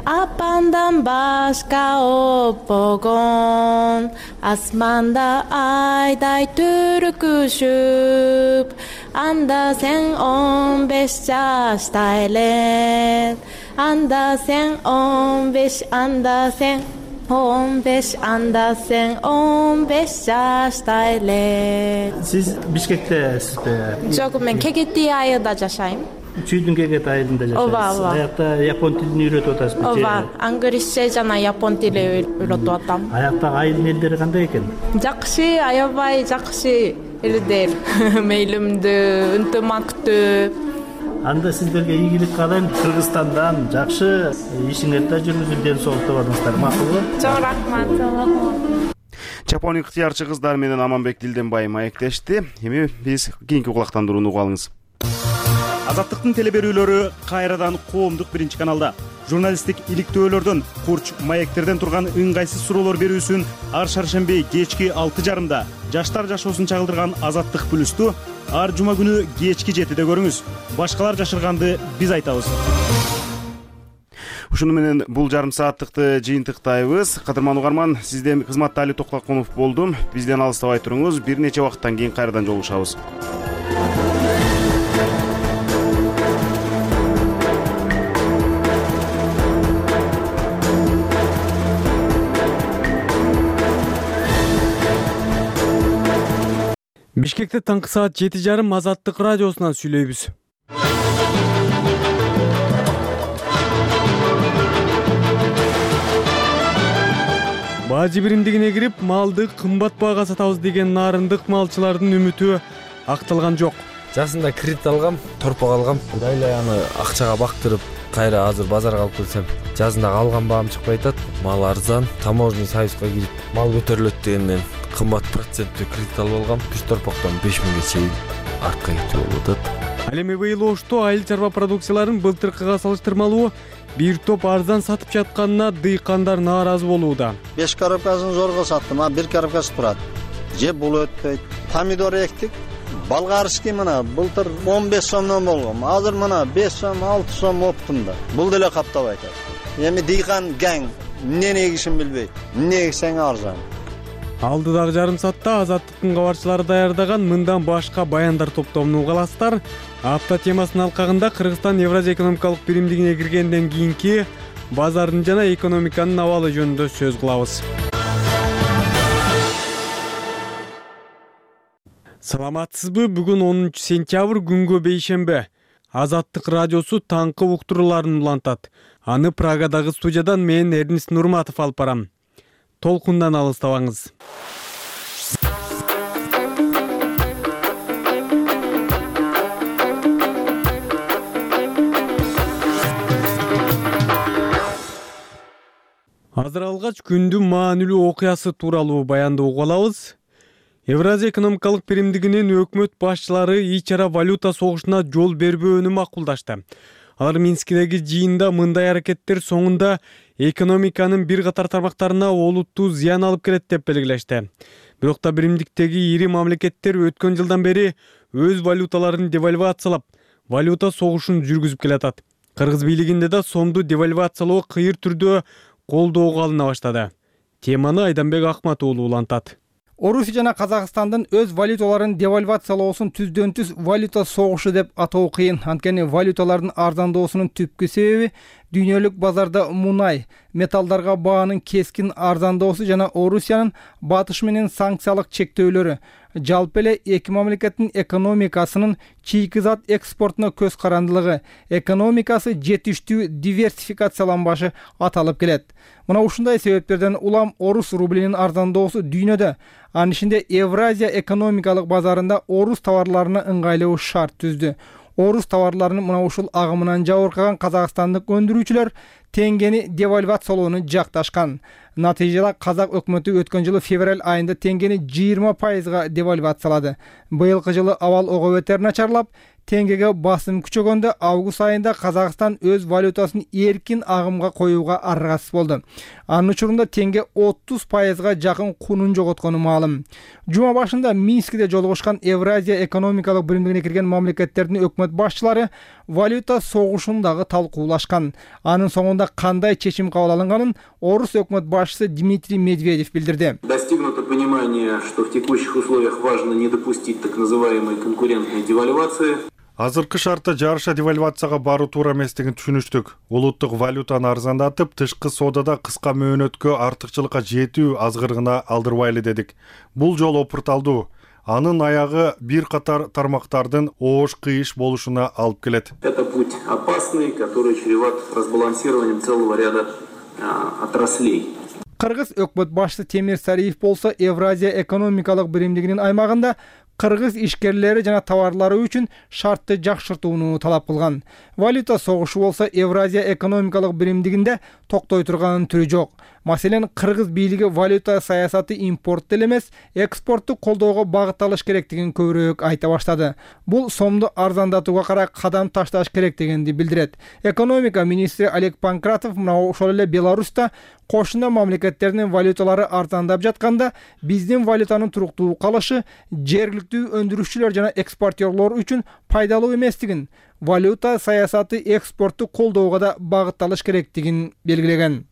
апандан башка оппогон, асманда айдай түркүшүп, анда сен 15 жашта элең, анда сен 15, анда сен 15, анда сен 15 жашта элең.
Сиз Бишкектесизби?
Жок, мен Кегети айылда жашайм.
Чүйдүн Кегети айылында жашайсыз.
Ооба.
Аякта япон тилин үйрөтүп атасызбы?
Ооба, англисче жана япон тили үйрөтүп атам.
Аяктагы айылдын элдери кандай экен?
Жакшы, аябай жакшы элдер. Мейлимдүү, ынтымактуу.
Анда сиздерге ийгилик каалайм. Кыргызстандан жакшы ишиңерди жүргүзүп, ден соолук табасыңыздар. Макулбу?
Чоң рахмат.
Жапония ыктыярчы кыздар менен Аманбек Дилденбай маектешти. Эми биз кийинки кулактандырууну угабыз. Азаттыктын телеберүүлөрү кайрадан коомдук биринчи каналда. Журналисттик иликтөөлөрдөн, курч маектерден турган ыңгайсыз суроолор берүүсүн ар шаршемби кечки 6:30 жаштар жашоосун чагылдырган Азаттык плюсту ар жума күнү кечки 7:de көрүңүз. Башкалар жашырганды биз айтабыз. Ушуну менен бул жарым сааттыкты жыйынтыктайбыз. Кадырман угарман, сизден кызматта Али Токтокунов болдум. Бизден алыстабай туруңуз. Бир нече убакыттан кийин кайрадан жолугушабыз.
Бишкекте таңкы саат 7:30 Азаттык радиосунан сүйлөйбүз. Бажы биримдигине кирип, малды кымбат баага сатабыз деген нарындык малчылардын үмүтү акталган жок.
Жасында кредит алгам, торпок алгам. Дайла аны акчага бактырып, кайра азыр базарга алып келсем, жазында алган баам чыкпай атат. Мал арзан, таможенный союзга кирип, мал көтөрүлөт дегенден кымбат проценттүү кредит алып алгам. 3 торпоктон 5000ге чейин артка кетип болуп атат.
Ал эми быйыл Ошто айыл чарба продукцияларын былтыркыга салыштырмалуу бир топ арзан сатып жатканына дыйкандар нааразы болууда.
5 коробкасын зорго саттым, а 1 коробкасы турат. Же бул өтпөйт. Помидор эктик. Болгарский мына былтыр 15 сомдон болгон. Азыр мына 5 сом, 6 сом оптум да. Бул деле каптабай атат. Эми дыйкан гаң эмне эгишин билбейт. Эмне эксең арзан.
Алдыдагы жарым саатта Азаттыктын кабарчылары даярдаган мындан башка баяндар топтомун угаласыздар. Апта темасынын алкагында Кыргызстан Евразия экономикалык биримдигине киргенден кийинки базардын жана экономиканын абалы жөнүндө сөз кылабыз. Саламатсызбы? Бүгүн 10 сентябрь күнгө бейшембе. Азаттык радиосу таңкы уктурууларын улантат. Аны Прагадагы студиядан мен Эрнис Нурматов алып барам. Толкундан алыстабаңыз. Азыр алгач күндүн маанилүү окуясы тууралуу баянды угалабыз. Евразия экономикалык биримдигинин өкмөт башчылары ич-ара валюта согушуна жол бербөөнү макулдашты. Алар Минскидеги жыйында мындай аракеттер соңунда экономиканын бир катар тармактарына олуттуу зыян алып келет деп белгилешти. Бирок да биримдиктеги ири мамлекеттер өткөн жылдан бери өз валюталарын девальвациялап, валюта согушун жүргүзүп келатат. Кыргыз бийлигинде да сомду девальвациялоо кыйыр түрдө колдоого алына баштады. Теманы Айданбек Акматуулу улантат.
Орусия жана Казакстандын өз валюталарын девальвациялоосун түздөн-түз валюта согушу деп атоо кыйын. Анткени валюталардын арзандоосунун түпкү себеби дүйнөлүк базарда мунай, металлдарга баанын кескин арзандоосу жана Орусиянын батыш менен санкциялык чектөөлөрү. Жалпы эле эки мамлекеттин экономикасынын чийки зат экспортуна көз карандылыгы, экономикасы жетиштүү диверсификацияланбашы аталып келет. Мына ушундай себептерден улам орус рублинин арзандоосу дүйнөдө, анын ичинде Евразия экономикалык базарында орус товарларына ыңгайлуу шарт түздү. Орус товарларынын мына ушул агымынан жабыркаган казакстандык өндүрүүчүлөр теңгени девальвациялоону жакташкан. Натыйжада казак өкмөтү өткөн жылы февраль айында теңгени 20% девальвациялады. Быйылкы жылы абал ого бетер начарлап, теңгеге басым күчөгөндө август айында Казакстан өз валютасын эркин агымга коюуга аргасыз болду. Анын учурунда теңге 30% жакын кунун жоготкону маалым. Жума башында Минскиде жолугушкан Евразия экономикалык биримдигине кирген мамлекеттердин өкмөт башчылары валюта согушун дагы талкуулашкан. Анын соңунда кандай чечим кабыл алынганын орус өкмөт башчысы Дмитрий Медведев билдирди.
Достигнуто понимание, что в текущих условиях важно не допустить так называемой конкурентной девальвации.
Азыркы шартта жарыша девальвацияга баруу туура эместигин түшүнүштүк. Улуттук валютаны арзандатып, тышкы соодада кыска мөөнөткө артыкчылыкка жетүү азгырыгына алдырбайлы дедик. Бул жол опурталдуу. Анын аягы бир катар тармактардын оош-кыйыш болушуна алып келет.
Это путь опасный, который чреват разбалансированием целого ряда отраслей.
Кыргыз өкмөт башчысы Темир Сариев болсо Евразия экономикалык биримдигинин аймагында кыргыз ишкерлери жана товарлары үчүн шартты жакшыртууну талап кылган. Валюта согушу болсо Евразия экономикалык биримдигинде токтой турганын түрү жок. Маселен, кыргыз бийлиги валюта саясаты импортту эле эмес, экспортту колдоого багытталыш керектигин көбүрөөк айта баштады. Бул сомду арзандатууга карай кадам ташташ керек дегенди билдирет. Экономика министри Олег Панкратов мына ошол эле Беларуста кошуна мамлекеттердин валюталары арзандап жатканда, биздин валютанын туруктуу калышы жергиликтүү өндүрүшчүлөр жана экспортерлор үчүн пайдалуу эместигин, валюта саясаты экспортту колдоого да багытталыш керектигин белгилеген.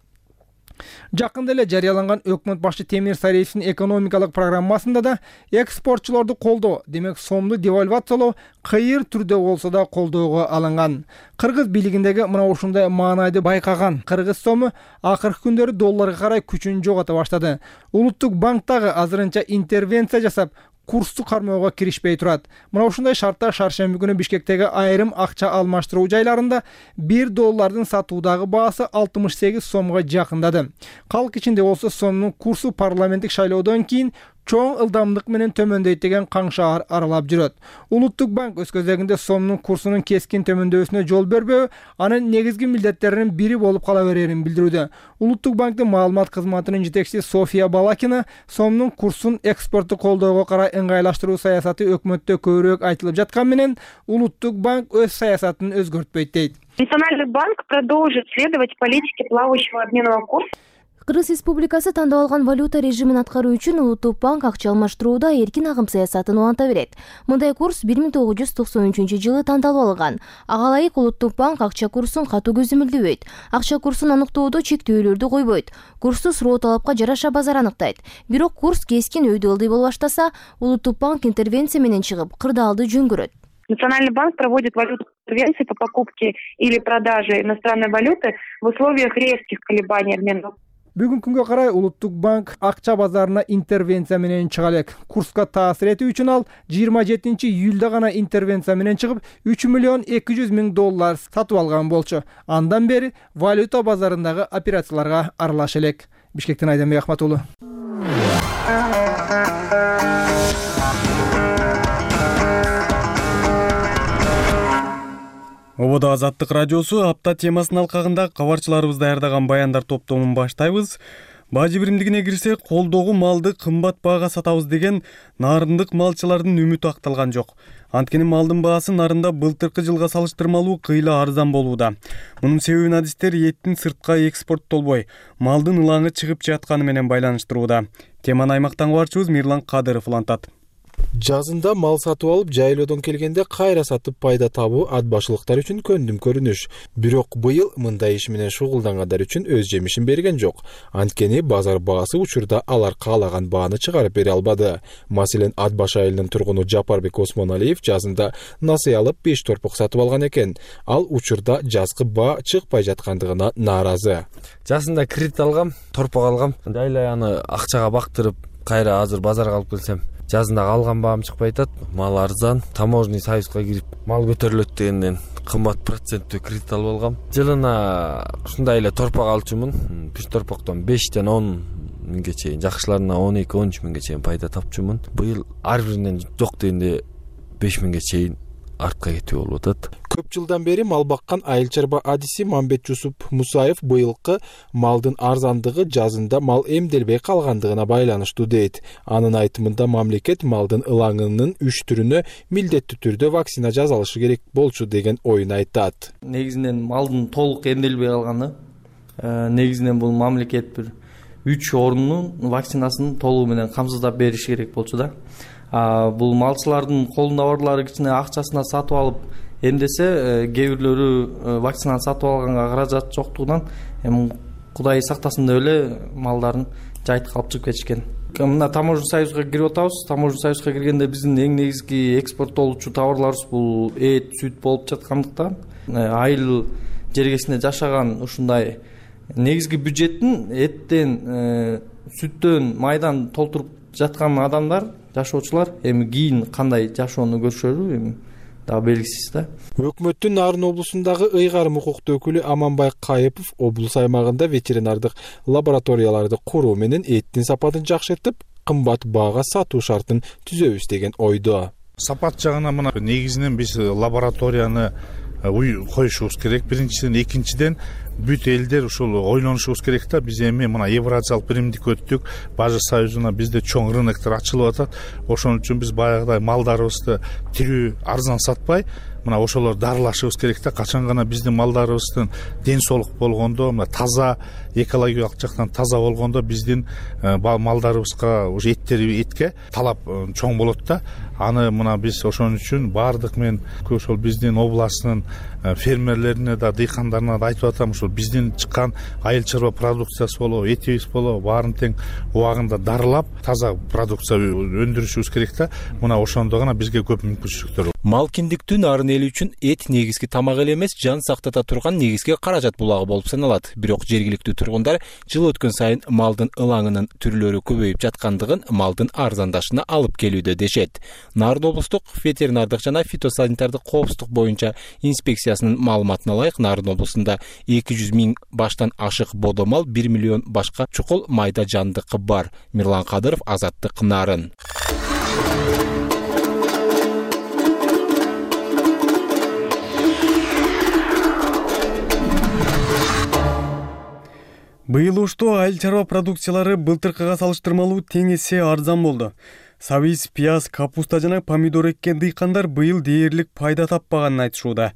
Жакында эле жарыяланган өкмөт башчы Темир Сариевдин экономикалык программасында да экспортчулорду колдоо, демек сомду девальвациялоо кыйыр түрдө болсо да колдоого алынган. Кыргыз бийлигиндеги мына ушундай маанайды байкаган кыргыз сому акыркы күндөрү долларга карай күчүн жогото баштады. Улуттук банк дагы азырынча интервенция жасап, курсту кармоого киришпей турат. Мына ушундай шартта шаршемби күнү Бишкектеги айрым акча алмаштыруу жайларында $1 сатуудагы баасы 68 сомго жакындады. Калк ичинде болсо сомдун курсу парламенттик шайлоодон кийин чоң ылдамдык менен төмөндөйт деген каңшаар аралап жүрөт. Улуттук банк өз кезегинде сомдун курсунун кескин төмөндөшүнө жол бербөө анын негизги милдеттеринин бири болуп кала берерин билдирүүдө. Улуттук банктын маалымат кызматынын жетекчиси София Балакина сомдун курсун экспортту колдоого карай ыңгайлаштыруу саясаты өкмөттө көбүрөөк айтылып жаткан менен, Улуттук банк өз саясатын өзгөртпөйт дейт.
Национальный банк продолжит следовать политике плавающего обменного курса.
Кыргыз Республикасы тандап алган валюта режимин аткаруу үчүн Улуттук банк акча алмаштырууда эркин агым саясатын уланта берет. Мындай курс 1993-жылы тандалып алынган. Ага ылайык Улуттук банк акча курсун катуу көзөмөлдөбөйт. Акча курсун аныктоодо чектөөлөрдү койбойт. Курсту суроо талапка жараша базар аныктайт. Бирок курс кескин өйдө ылдый боло баштаса, Улуттук банк интервенция менен чыгып, кырдаалды жөн көрөт.
Национальный банк проводит валютные интервенции по покупке или продаже иностранной валюты в условиях резких колебаний обменного.
Бүгүнкү күнгө карай Улуттук банк акча базарына интервенция менен чыга элек. Курска таасир этүү үчүн ал 27-июлда гана интервенция менен чыгып, $3,200,000 сатып алган болчу. Андан бери валюта базарындагы операцияларга аралаша элек. Бишкектен Айданбек Ахматулу.
Ободо Азаттык радиосу апта темасынын алкагында кабарчыларыбыз даярдаган баяндар топтомун баштайбыз. Бажы биримдигине кирсек, колдогу малды кымбат баага сатабыз деген нарындык малчылардын үмүтү акталган жок. Анткени малдын баасы нарында былтыркы жылга салыштырмалуу кыйла арзан болууда. Мунун себебин адистер эттин сыртка экспорттолбой, малдын ылаңы чыгып жатканы менен байланыштырууда. Теманы аймактан кабарчыбыз Мирлан Кадыров улантат.
Жазында мал сатып алып, жайлоодон келгенде кайра сатып пайда табуу ат башылыктар үчүн көндүм көрүнүш. Бирок быйыл мындай иш менен шугулдангандар үчүн өз жемишин берген жок. Анткени базар баасы учурда алар каалаган бааны чыгарып бере албады. Маселен, ат баш айылынын тургуну Жапарбек Осмоналиев жазында насый алып 5 торпок сатып алган экен. Ал учурда жазкы баа чыкпай жаткандыгына нааразы.
Жазында кредит алгам, торпок алгам. Дайлай аны акчага бактырып, кайра азыр базарга алып келсем, жазында алган баам чыкпай атат. Мал арзан, таможенный союзга кирип, мал көтөрүлөт дегенден кымбат проценттүү кредит алып алгам. Жылына ушундай эле торпок алчумун. Бир торпоктон 5-10 миңге чейин, жакшыларына 12-13 миңге чейин пайда тапчумун. Быйыл ар биринен жок дегенде 5 миңге чейин артка кетүү болуп атат.
Көп жылдан бери мал баккан айыл чарба адиси Мамбет Жусуп Мусаев быйылкы малдын арзандыгы жазында мал эмделбей калгандыгына байланыштуу дейт. Анын айтымында мамлекет малдын ылаңынын 3 түрүнө милдеттүү түрдө вакцина жасалышы керек болчу деген оюн айтат.
Негизинен малдын толук эмделбей калганы, негизинен бул мамлекет бир 3 орунун вакцинасын толугу менен камсыздап бериш керек болчу да. Бул малчылардын колунда барлары кичине акчасына сатып алып эмдесе, кээ бирлөрү вакцинаны сатып алганга каражат жоктугунан эми Кудай сактасын деп эле малдарын жайыт калып чыгып кетишкен. Мына таможенный союзга кирип атабыз. Таможенный союзга киргенде биздин эң негизги экспорттолчу товарларыбыз бул эт, сүт болуп жаткандыктан, айыл жергесинде жашаган ушундай негизги бюджеттин эттен, сүттөн, майдан толтуруп жаткан адамдар, жашоочулар эми кийин кандай жашоону көрүшөрү эми дагы белгисиз да.
Өкмөттүн Нарын облусундагы ыйгарым укуктуу өкүлү Аманбай Кайыпов облус аймагында ветеринардык лабораторияларды куруу менен эттин сапатын жакшыртып, кымбат баага сатуу шартын түзөбүз деген ойдо.
Сапат жагынан мына негизинен биз лабораторияны
коюшубуз керек биринчиден. Экинчиден бүт элдер ушул ойлонушубуз керек да. Биз эми мына Евразиялык биримдикке өттүк, Бажы союзуна бизде чоң рыноктор ачылып атат. Ошон үчүн биз баягыдай малдарыбызды тирүү арзан сатпай, мына ошолор дарылашыбыз керек да. Качан гана биздин малдарыбыздын ден соолук болгондо, мына таза, экологиялык жактан таза болгондо биздин малдарыбызга уже этке талап чоң болот да. Аны мына биз ошон үчүн баардык мен ошол биздин областтын фермерлерине да, дыйкандарына да айтып атам, ушул биздин чыккан айыл чарба продукциясы болобу, этибиз болобу, баарын тең убагында дарылап, таза продукция өндүрүшүбүз керек да. Мына ошондо гана бизге көп мүмкүнчүлүктөр.
Мал киндиктүү нарын эли үчүн эт негизги тамак эле эмес, жан сактата турган негизги каражат булагы болуп саналат. Бирок жергиликтүү тургундар жыл өткөн сайын малдын ылаңынын түрлөрү көбөйүп жаткандыгын малдын арзандашына алып келүүдө дешет. Нарын облустук ветеринардык жана фитосанитардык коопсуздук боюнча инспекциясынын маалыматына ылайык, Нарын облусунда 200 000 баштан ашык бодомал, 1 миллион башка чукул майда жандык бар. Мирлан Кадыров, Азаттык, Нарын.
Быйыл ушту айыл чарба продукциялары былтыркыга салыштырмалуу тең эсе арзан болду. Сабиз, пияз, капуста жана помидор эккен дыйкандар быйыл дээрлик пайда таппаганын айтышууда.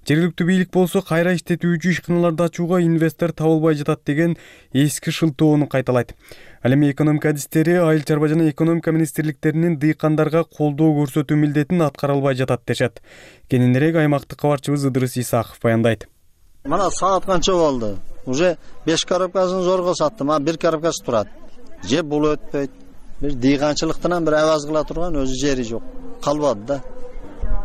Жергиликтүү бийлик болсо кайра иштетүүчү ишканаларды ачууга инвестор табылбай жатат деген эски шылтоону кайталайт. Ал эми экономика адистери айыл чарба жана экономика министрликтеринин дыйкандарга колдоо көрсөтүү милдетин аткара албай жатат дешет. Кененирээк аймактык кабарчыбыз Ыдырыс Исаков баяндайт.
Мына саат канча болду? Уже 5 коробкасын зорго саттым, а 1 коробкасы турат. Же бул өтпөйт. Бир дыйканчылыктан бир аваз кыла турган өзү жери жок. Калбады да.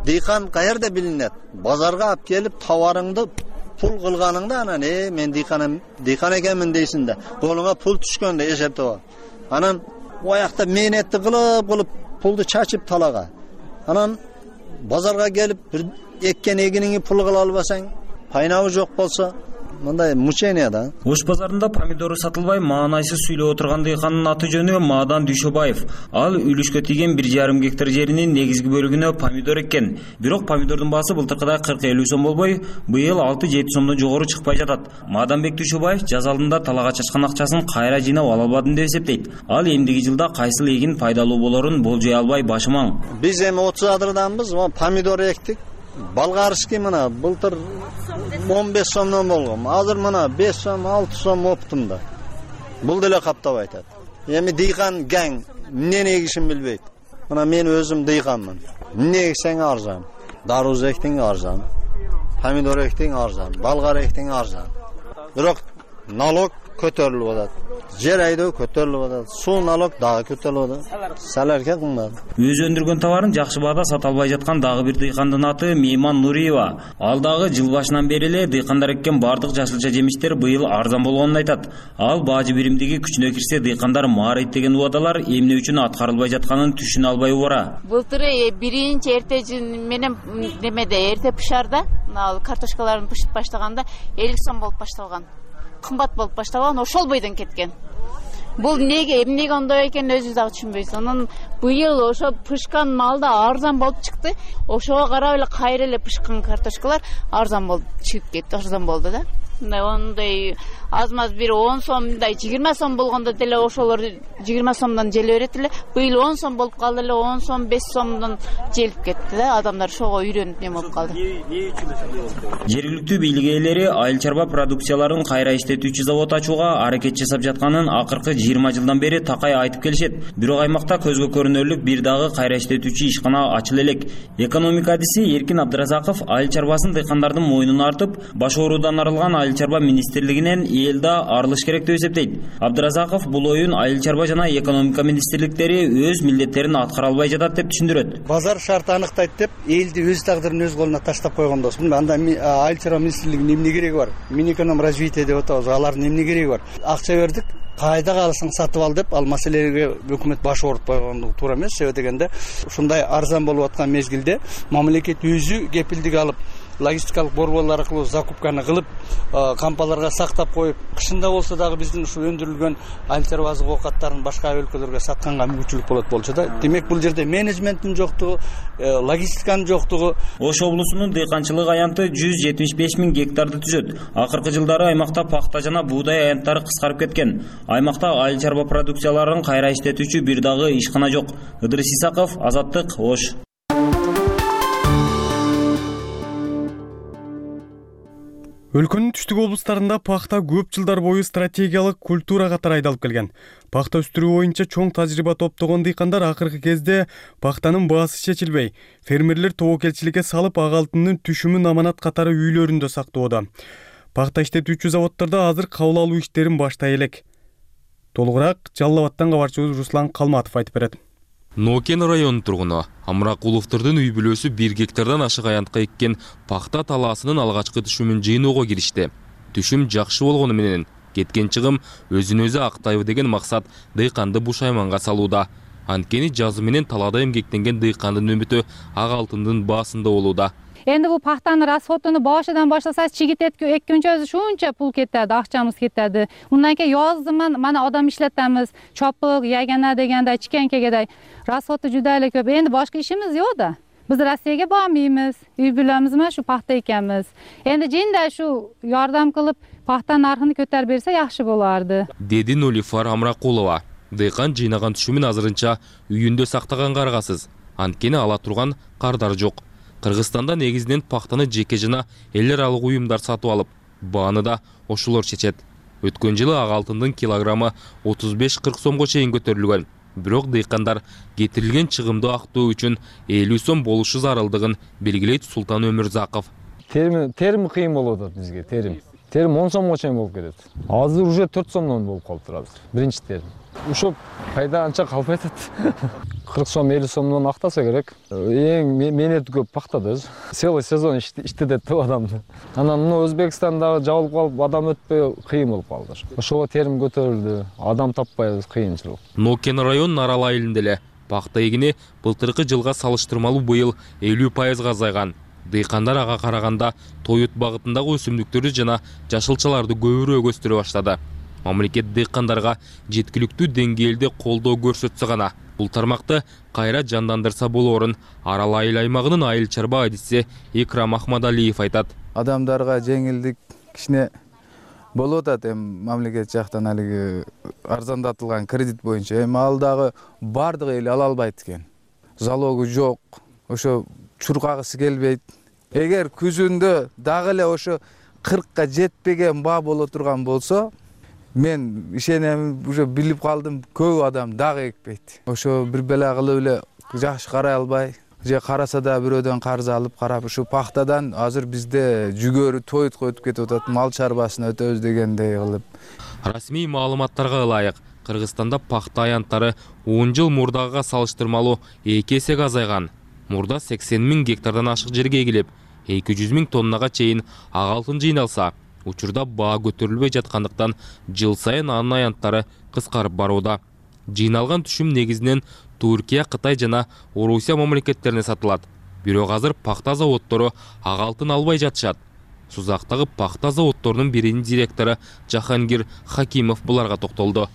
Дыйкан каерде билинет? Базарга алып келип товарыңды пул кылганыңда анан мен дыйкан экенмин дейсиң да. Колуңа пул түшкөндө эсептеп. Анан оякта мээнетти кылып пулду чачып талага. Анан базарга келип бир эккен эгиниңи пул кыла албасаң, пайнабы жок болсо, мындай мучение да.
Ош базарында помидору сатылбай маанайсыз сүйлөп отурган дыйкандын аты жөнү Маадан Дүйшөбаев. Ал үлүшкө тийген 1,5 гектар жеринин негизги бөлүгүнө помидор эккен. Бирок помидордун баасы былтыркыдай 40-50 сом болбой, быйыл 6-7 сомдон жогору чыкпай жатат. Мааданбек Дүйшөбаев жаз алдында талага чачкан акчасын кайра жыйнап ала албадым деп эсептейт. Ал эмдиги жылда кайсыл эгин пайдалуу болорун болжой албай башымаң.
Биз эми 30 адырданбыз, помидор эктик. Болгарский мына былтыр 15 сомдон болгон. Азыр мына 5 сом, 6 сом оптум да. Бул деле каптабай атат. Эми дыйкан гаң эмне эгишин билбейт. Мына мен өзүм дыйканмын. Эмне эксең арзан. Даруз эктиң арзан. Помидор эктиң арзан. Болгар эктиң арзан. Бирок налог көтөрүлүп атат. Жер айдоо көтөрүлүп атат. Суу налог дагы көтөрүлүп атат. Салерке кымбат.
Өзү өндүргөн товарын жакшы баада сата албай жаткан дагы бир дыйкандын аты Мейман Нуриева. Ал дагы жыл башынан бери эле дыйкандар эккен бардык жашылча жемиштер быйыл арзан болгонун айтат. Ал бажы биримдиги күчүнө кирсе дыйкандар маарайт деген убадалар эмне үчүн аткарылбай жатканын түшүнө албай убара.
Былтыр биринчи эртежин менен немеде эрте пышарда, ал картошкаларын пышып баштаганда 50 сом болуп башталган. Кымбат болуп башталган, ошол бойдон кеткен. Бул эмнеге ондой экенин өзүбүз дагы түшүнбөйбүз. Анан быйыл ошо пышкан малда арзан болуп чыкты. Ошого карап эле кайра эле пышкан картошкалар арзан болуп чыгып кетти, арзан болду да. Ондай аз-маз бир 10 сомдай 20 сом болгондо деле ошолор 20 сомдон желе берет эле. Быйыл 10 сом болуп калды эле, 10 сом 5 сомдон желип кетти да. Адамдар ошого үйрөнүп неме болуп калды.
Жергиликтүү бийлик ээлери айыл чарба продукцияларын кайра иштетүүчү завод ачууга аракет жасап жатканын акыркы 20 жылдан бери такай айтып келишет. Бирок аймакта көзгө көрүнөрлүк бир дагы кайра иштетүүчү ишкана ачыла элек. Экономика адиси Эркин Абдыразаков айыл чарбасын дыйкандардын мойнуна артып, баш оорудан арылган айыл чарба министрлигинен элда арылыш керек деп эсептейт. Абдыразаков бул оюн айыл чарба жана экономика министрликтери өз милдеттерин аткара албай жатат деп түшүндүрөт.
Базар шарты аныктайт деп элди өз тагдырын өз колуна таштап койгондосун. Анда айыл чарба министрлигинин эмне кереги бар? Минэконом развитие деп атабыз. Алардын эмне кереги бар? Акча бердик, кайда калсаң сатып ал деп, ал маселеге өкмөт баш оорутпай койгондугу туура эмес. Себеби дегенде ушундай арзан болуп аткан мезгилде мамлекет өзү кепилдик алып логистикалык борборлор аркылуу закупканы кылып, кампаларга сактап коюп, кышында болсо дагы биздин ушу өндүрүлгөн айыл чарба азык оокаттарын башка өлкөлөргө сатканга мүмкүнчүлүк болот болчу да. Демек бул жерде менеджменттин жоктугу, логистиканын жоктугу.
Ош облусунун дыйканчылык аянты 175 000 гектарды түзөт. Акыркы жылдары аймакта пахта жана буудай аянттары кыскарып кеткен. Аймакта айыл чарба продукцияларын кайра иштетүүчү бир дагы ишкана жок. Ыдырыс Исаков, Азаттык, Ош.
Өлкөнүн түштүк облустарында пахта көп жылдар бою стратегиялык культура катары айдалып келген. Пахта өстүрүү боюнча чоң тажрыйба топтогон дыйкандар акыркы кезде пахтанын баасы чечилбей, фермерлер тобокелчиликке салып ак алтындын түшүмүн аманат катары үйлөрүндө сактоодо. Пахта иштетүүчү заводдордо азыр кабыл алуу иштерин баштай элек. Толугураак Жалал Абадтан кабарчыбыз Руслан Калматов айтып берет.
Нокен районунун тургуну Амракуловдордун үй бүлөсү 1 гектардан ашык аянтка эккен пахта талаасынын алгачкы түшүмүн жыйноого киришти. Түшүм жакшы болгону менен кеткен чыгым өзүн өзү актайбы деген максат дыйканды бушайманга салууда. Анткени жазы менен талаада эмгектенген дыйкандын үмүтү ак алтындын баасында болууда.
Энди бул пахтанын расходуну башынан баштасак чигит эккенче өзү шунча пул кетет, акчамыз кетет. Ундан кийин жаздыман мана адам иштетебиз, чопук, ягана дегенде кичкенкегедей расходу жуда эле көп. Энди башка ишimiz жок да. Биз Россияга бармайбыз, үй бүлөбүз менен шу пахта экенбиз. Энди жинде шу жардам кылып пахтанын нархын көтөрүп берсе жакшы боларды.
Деди Нолифар Амракулова. Дыйкан жыйнаган түшүмүн азырынча үйүндө сактаганга аргасыз. Анткени ала турган кардар жок. Кыргызстанда негизинен пахтаны жеке жана эл аралык уюмдар сатып алып, бааны да ошолор чечет. Өткөн жылы ак алтындын килограммы 35-40 сомго чейин көтөрүлгөн. Бирок дыйкандар кетирилген чыгымды актоо үчүн 50 сом болушу зарылдыгын белгилейт Султан Өмүрзаков.
Терим кыйын болуп атат бизге, терим 10 сомго чейин болуп кетет. Азыр уже 4 сомдон болуп калыптыр азыр. Биринчи терим. Ошо пайда анча калбай атат. 40 сом, 50 сомдон актаса керек. Эң менети көп пахтадыз. Целый сезон иштетет деп адамды. Анан мына Өзбекстанда жабылып калып, адам өтпөй кыйын болуп калды. Ошого терим көтөрүлдү. Адам таппайбыз, кыйынчылык.
Нокен районунун Арал айылында эле пахта эгини былтыркы жылга салыштырмалуу быйыл 50% азайган. Дыйкандар ага караганда тоют багытындагы өсүмдүктөрдү жана жашылчаларды көбүрөөк өстүрө баштады. Мамлекет дыйкандарга жеткиликтүү деңгээлде колдоо көрсөтсө гана бул тармакты кайра жандандырса болоорун Арал айыл аймагынын айыл чарба адиси Икрам Ахмадалиев айтат.
Адамдарга жеңилдик кичине болуп атат мамлекет жактан алиги арзандатылган кредит боюнча. Ал дагы бардыгы эле ала албайт экен. Залогу жок. Ошо чуркагысы келбейт. Эгер күзүндө дагы эле ошо 40ка жетпеген баа боло турган болсо, мен ишенем, уже билип калдым, көп адам дагы экпейт. Ошо бир бела кылып эле жакшы карай албай, же караса да бирөөдөн карыз алып карап, ушу пахтадан азыр бизде жүгөрү тоютко өтүп кетип атат, мал чарбасына өтөбүз дегендей кылып.
Расмий маалыматтарга ылайык, Кыргызстанда пахта аянттары 10 жыл мурдагыга салыштырмалуу 2 эсеге азайган. Мурда 80 000 гектардан ашык жерге эгилип, 200 000 тоннага чейин ак алтын жыйналса, учурда баа көтөрүлбөй жаткандыктан жыл сайын анын аянттары кыскарып барууда. Жыйналган түшүм негизинен Туркия, Кытай жана Орусия мамлекеттерине сатылат. Бирок азыр пахта заводдору ак алтын албай жатышат. Сузактагы пахта заводдорунун биринин директору Жахангир Хакимов буларга токтолду.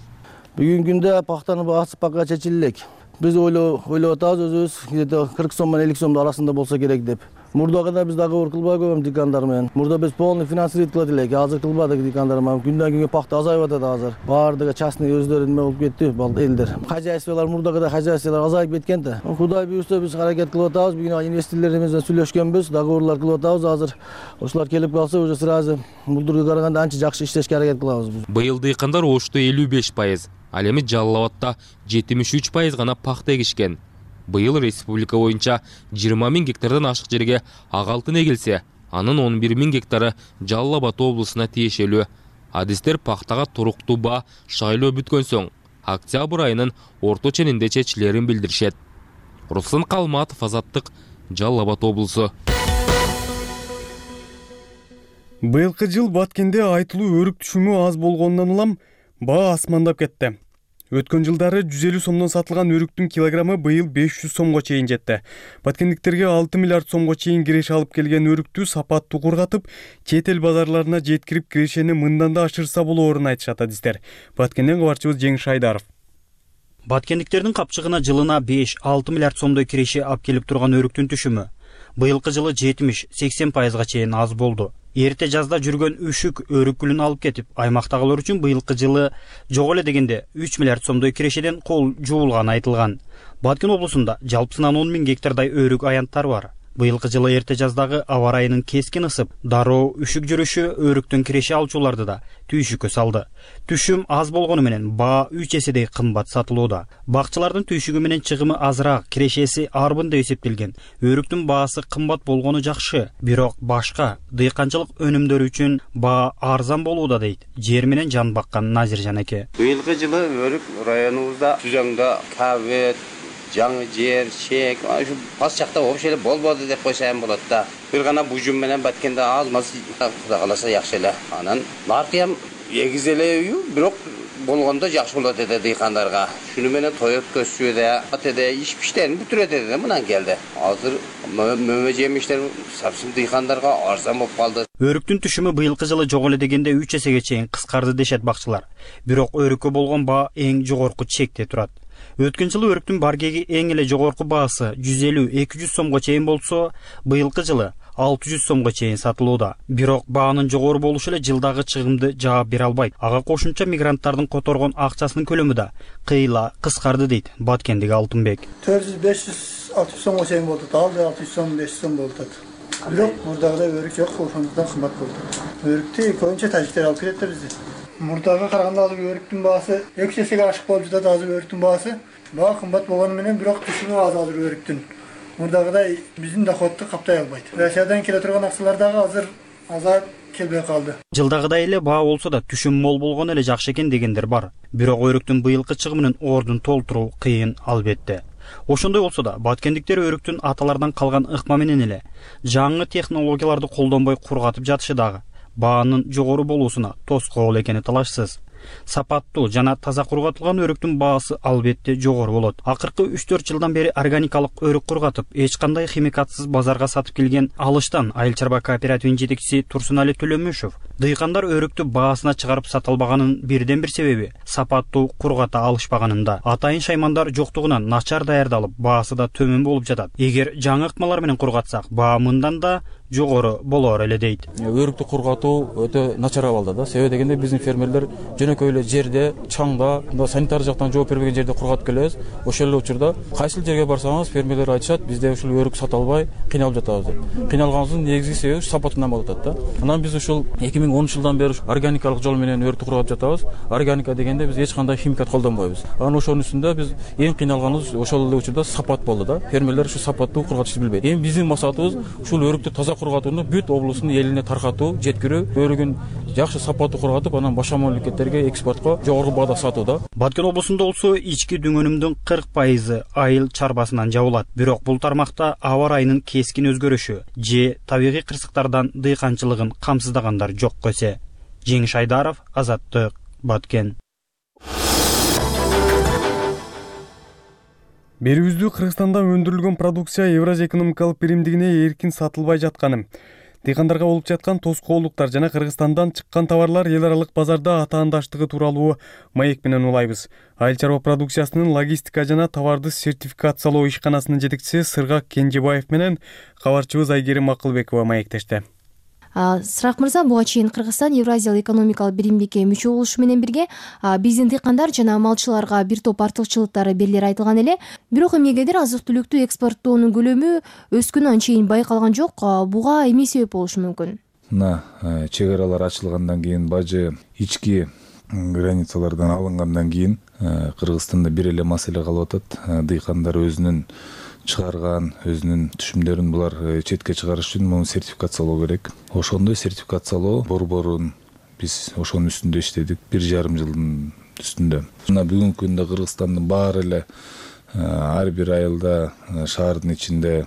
Бүгүнкү күндө пахтанын баасы пока чечиле элек. Биз ойлоп атабыз өзүбүз 40 сом менен 50 сомдун арасында болсо керек деп. Мурдага да биз дагы кылбай койгон дыйкандар менен. Мурда биз полный финансировать кылат элек. Азыр кылбадык дыйкандар менен. Күндөн күнгө пахта азайып атат азыр. Баардыгы частный өздөрү неме болуп кетти, элдер. Хозяйстволор мурдагыдай хозяйстволор азайып кеткен да. Кудай буйрса биз аракет кылып атабыз. Бүгүн инвесторлорубуз менен сүйлөшкөнбүз, договорлор кылып атабыз азыр. Ошолор келип калса, уже сразу булдурга караганда анча жакшы иштешке аракет кылабыз.
Быйыл дыйкандар Ошто 55%, ал эми Жалал Абадта 73% гана пахта эгишкен. Быйыл республика боюнча 20 000 гектардан ашык жерге ак алтын эгилсе, анын 11 000 гектары Жалал Абад облусуна тиешелүү. Адистер пахтага туруктуу баа шайлоо бүткөн соң октябрь айынын орто ченинде чечилерин билдиришет. Руслан Калматов, Азаттык, Жалал Абад облусу.
Быйылкы жыл Баткенде айтылуу өрүк түшүмү аз болгондон улам баа асмандап кетти. Өткөн жылдары 150 сомдон сатылган өрүктүн килограммы быйыл 500 сомго чейин жетти. Баткендиктерге 6 миллиард сомго чейин киреше алып келген өрүктү сапаттуу кургатып, чет эл базарларына жеткирип кирешени мындан да ашырса болоорун айтышат адистер. Баткенден кабарчыбыз Жеңиш Айдаров.
Баткендиктердин капчыгына жылына 5-6 миллиард сомдой киреше алып келип турган өрүктүн түшүмү быйылкы жылы 70-80% чейин аз болду. Эрте жазда жүргөн үшүк өрүк гүлүн алып кетип, аймактагылар үчүн быйылкы жылы жок эле дегенде 3 миллиард сомдой кирешеден кол жуулганы айтылган. Баткен облусунда жалпысынан 10 000 гектардай өрүк аянттары бар. Быйылкы жылы эрте жаздагы аба ырайынын кескин ысып, дароо үшүк жүрүшү өрүктөн киреше алчуларды да түйшүккө салды. Түшүм аз болгону менен баа 3 эседей кымбат сатылууда. Бакчылардын түйшүгү менен чыгымы азыраак, кирешеси арбын деп эсептелген. Өрүктүн баасы кымбат болгону жакшы, бирок башка дыйканчылык өнүмдөрү үчүн баа арзан болууда дейт жер менен жан баккан Назиржан эке.
Быйылкы жылы өрүк районубузда Түзөңдө кабет, жаңы жер, чек, ушу бас жакта вообще эле болбоду деп койсом болот да. Бир гана бужум менен Баткенде аз маз Кудай кааласа жакшы эле. Анан наркы эгиз эле үй, бирок болгондо жакшы болот эди дыйкандарга. Шуну менен той өткөзүшүдө, атеде иш биштерин бүтүрөт эди мындан келди. Азыр мөмө жемиштер совсем дыйкандарга арзан болуп калды.
Өрүктүн түшүмү быйылкы жылы жок эле дегенде 3 эсеге чейин кыскарды дешет бакчылар. Бирок өрүккө болгон баа эң жогорку чекте турат. Өткөн жылы өрүктүн баргеги эң эле жогорку баасы 150-200 сомго чейин болсо, быйылкы жылы 600 сомго чейин сатылууда. Бирок баанын жогору болушу эле жылдагы чыгымды жаап бере албайт. Ага кошумча мигранттардын которгон акчасынын көлөмү да кыйла кыскарды дейт Баткендеги Алтынбек.
400-500-600 сомго чейин болду. Алды 600 сом, 500 сом болду. Бирок мурдагыдай өрүк жок, ошондуктан кымбат болду. Өрүктү көбүнчө тажиктер алып келет да бизде. Мурдага караганда азыр өрүктүн баасы 2 эсеге ашык болуп жатат. Азыр өрүктүн баасы баа кымбат болгону менен бирок түшүмү аз азыр өрүктүн. Мурдагыдай биздин доходду каптай албайт. Россиядан келе турган акчалар дагы азыр азайып келбей калды.
Жылдагыдай эле баа болсо да түшүм мол болгону эле жакшы экен дегендер бар. Бирок өрүктүн быйылкы чыгымынын ордун толтуруу кыйын албетте. Ошондой болсо да баткендиктер өрүктүн аталардан калган ыкма менен эле жаңы технологияларды колдонбой кургатып жатышы дагы баанын жогору болуусуна тоскоол экени талашсыз. Сапаттуу жана таза кургатылган өрүктүн баасы албетте жогору болот. Акыркы 3-4 жылдан бери органикалык өрүк кургатып, эч кандай химикатсыз базарга сатып келген Алыштан айыл чарба кооперативинин жетекчиси Турсунали Төлөмүшев дыйкандар өрүктү баасына чыгарып сата албаганын бирден бир себеби сапаттуу кургата алышпаганында. Атайын шаймандар жоктугунан начар даярдалып, баасы да төмөн болуп жатат. Эгер жаңы ыкмалар менен кургатсак, баа мындан да жогору болор эле дейт.
Өрүктү кургатуу өтө начар абалда да. Себеби дегенде биздин фермерлер жөнөкөй эле жерде, чаңда, санитар жактан жооп бербеген жерде кургатып келебиз. Ошол эле учурда кайсыл жерге барсаңыз фермерлер айтышат, бизде ушул өрүк сата албай кыйналып жатабыз деп. Кыйналганыбыздын негизги себеби сапатынан болуп атат да. Анан биз ушул 2010 жылдан бери органикалык жол менен өрүктү кургатып жатабыз. Органика дегенде биз эч кандай химикат колдонбойбуз. Анан ошонун үстүндө биз эң кыйналганыбыз ошол эле учурда сапат болду да. Фермерлер ушу сапаттуу кургатышты билбейт. Эми биздин максатыбыз ушул өрүктү таза кургатууну бүт облустун элине таркатуу, жеткирүү, өрүгүн жакшы сапаттуу кургатып, анан башка мамлекеттерге экспортко жогорку баада сатуу да.
Баткен облусунда болсо ички дүңөнүмдүн 40% айыл чарбасынан жабылат. Бирок бул тармакта аба ырайынын кескин өзгөрүшү же табигый кырсыктардан дыйканчылыгын камсыздагандар жок көсө. Жеңиш Айдаров, Азаттык, Баткен.
Берүүбүздө Кыргызстанда өндүрүлгөн продукция Евразия экономикалык биримдигине эркин сатылбай жатканы, дыйкандарга болуп жаткан тоскоолдуктар жана Кыргызстандан чыккан товарлар эл аралык базарда атаандаштыгы тууралуу маек менен улайбыз. Айыл чарба продукциясынын логистика жана товарды сертификациялоо ишканасынын жетекчиси Сыргак Кенжебаев менен кабарчыбыз Айгерим Акылбекова маектешти.
Сырак мырза, буга чейин Кыргызстан Евразиялык экономикалык биримдикке мүчө болушу менен бирге биздин дыйкандар жана малчыларга бир топ артыкчылыктары белгилери айтылган эле. Бирок эмнегедир азык-түлүктү экспорттоонун көлөмү өскөнү анчейин байкалган жок. Буга эмне себеп болушу мүмкүн?
Чек аралар ачылгандан кийин, бажы ички границалардан алынгандан кийин Кыргызстанда бир эле маселе калып атат. Дыйкандар өзүнүн чыгарган өзүнүн түшүмдөрүн булар четке чыгарыш үчүн муну сертификациялоо керек. Ошондой сертификациялоо борборун биз ошонун үстүндө иштедик 1,5 жылдын үстүндө. Мына бүгүнкү күндө Кыргызстандын баары эле ар бир айылда шаардын ичинде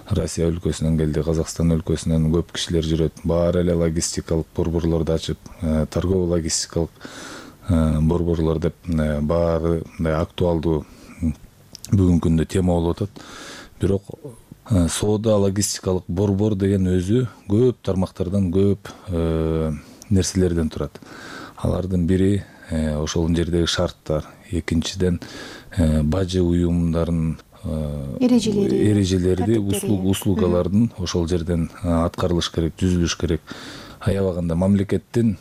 Россия өлкөсүнөн келди, Казакстан өлкөсүнөн көп кишилер жүрөт. Баары эле логистикалык борборлорду ачып, торгово логистикалык борборлор деп баары мындай актуалдуу бүгүнкү күндө тема болуп атат. Бирок соода логистикалык борбор деген өзү көп тармактардан, көп нерселерден турат. Алардын бири ошол жердеги шарттар, экинчиден бажы уюмдарын эрежелерди, услугалардын ошол жерден аткарылыш керек, түзүлүш керек. Аябаганда мамлекеттин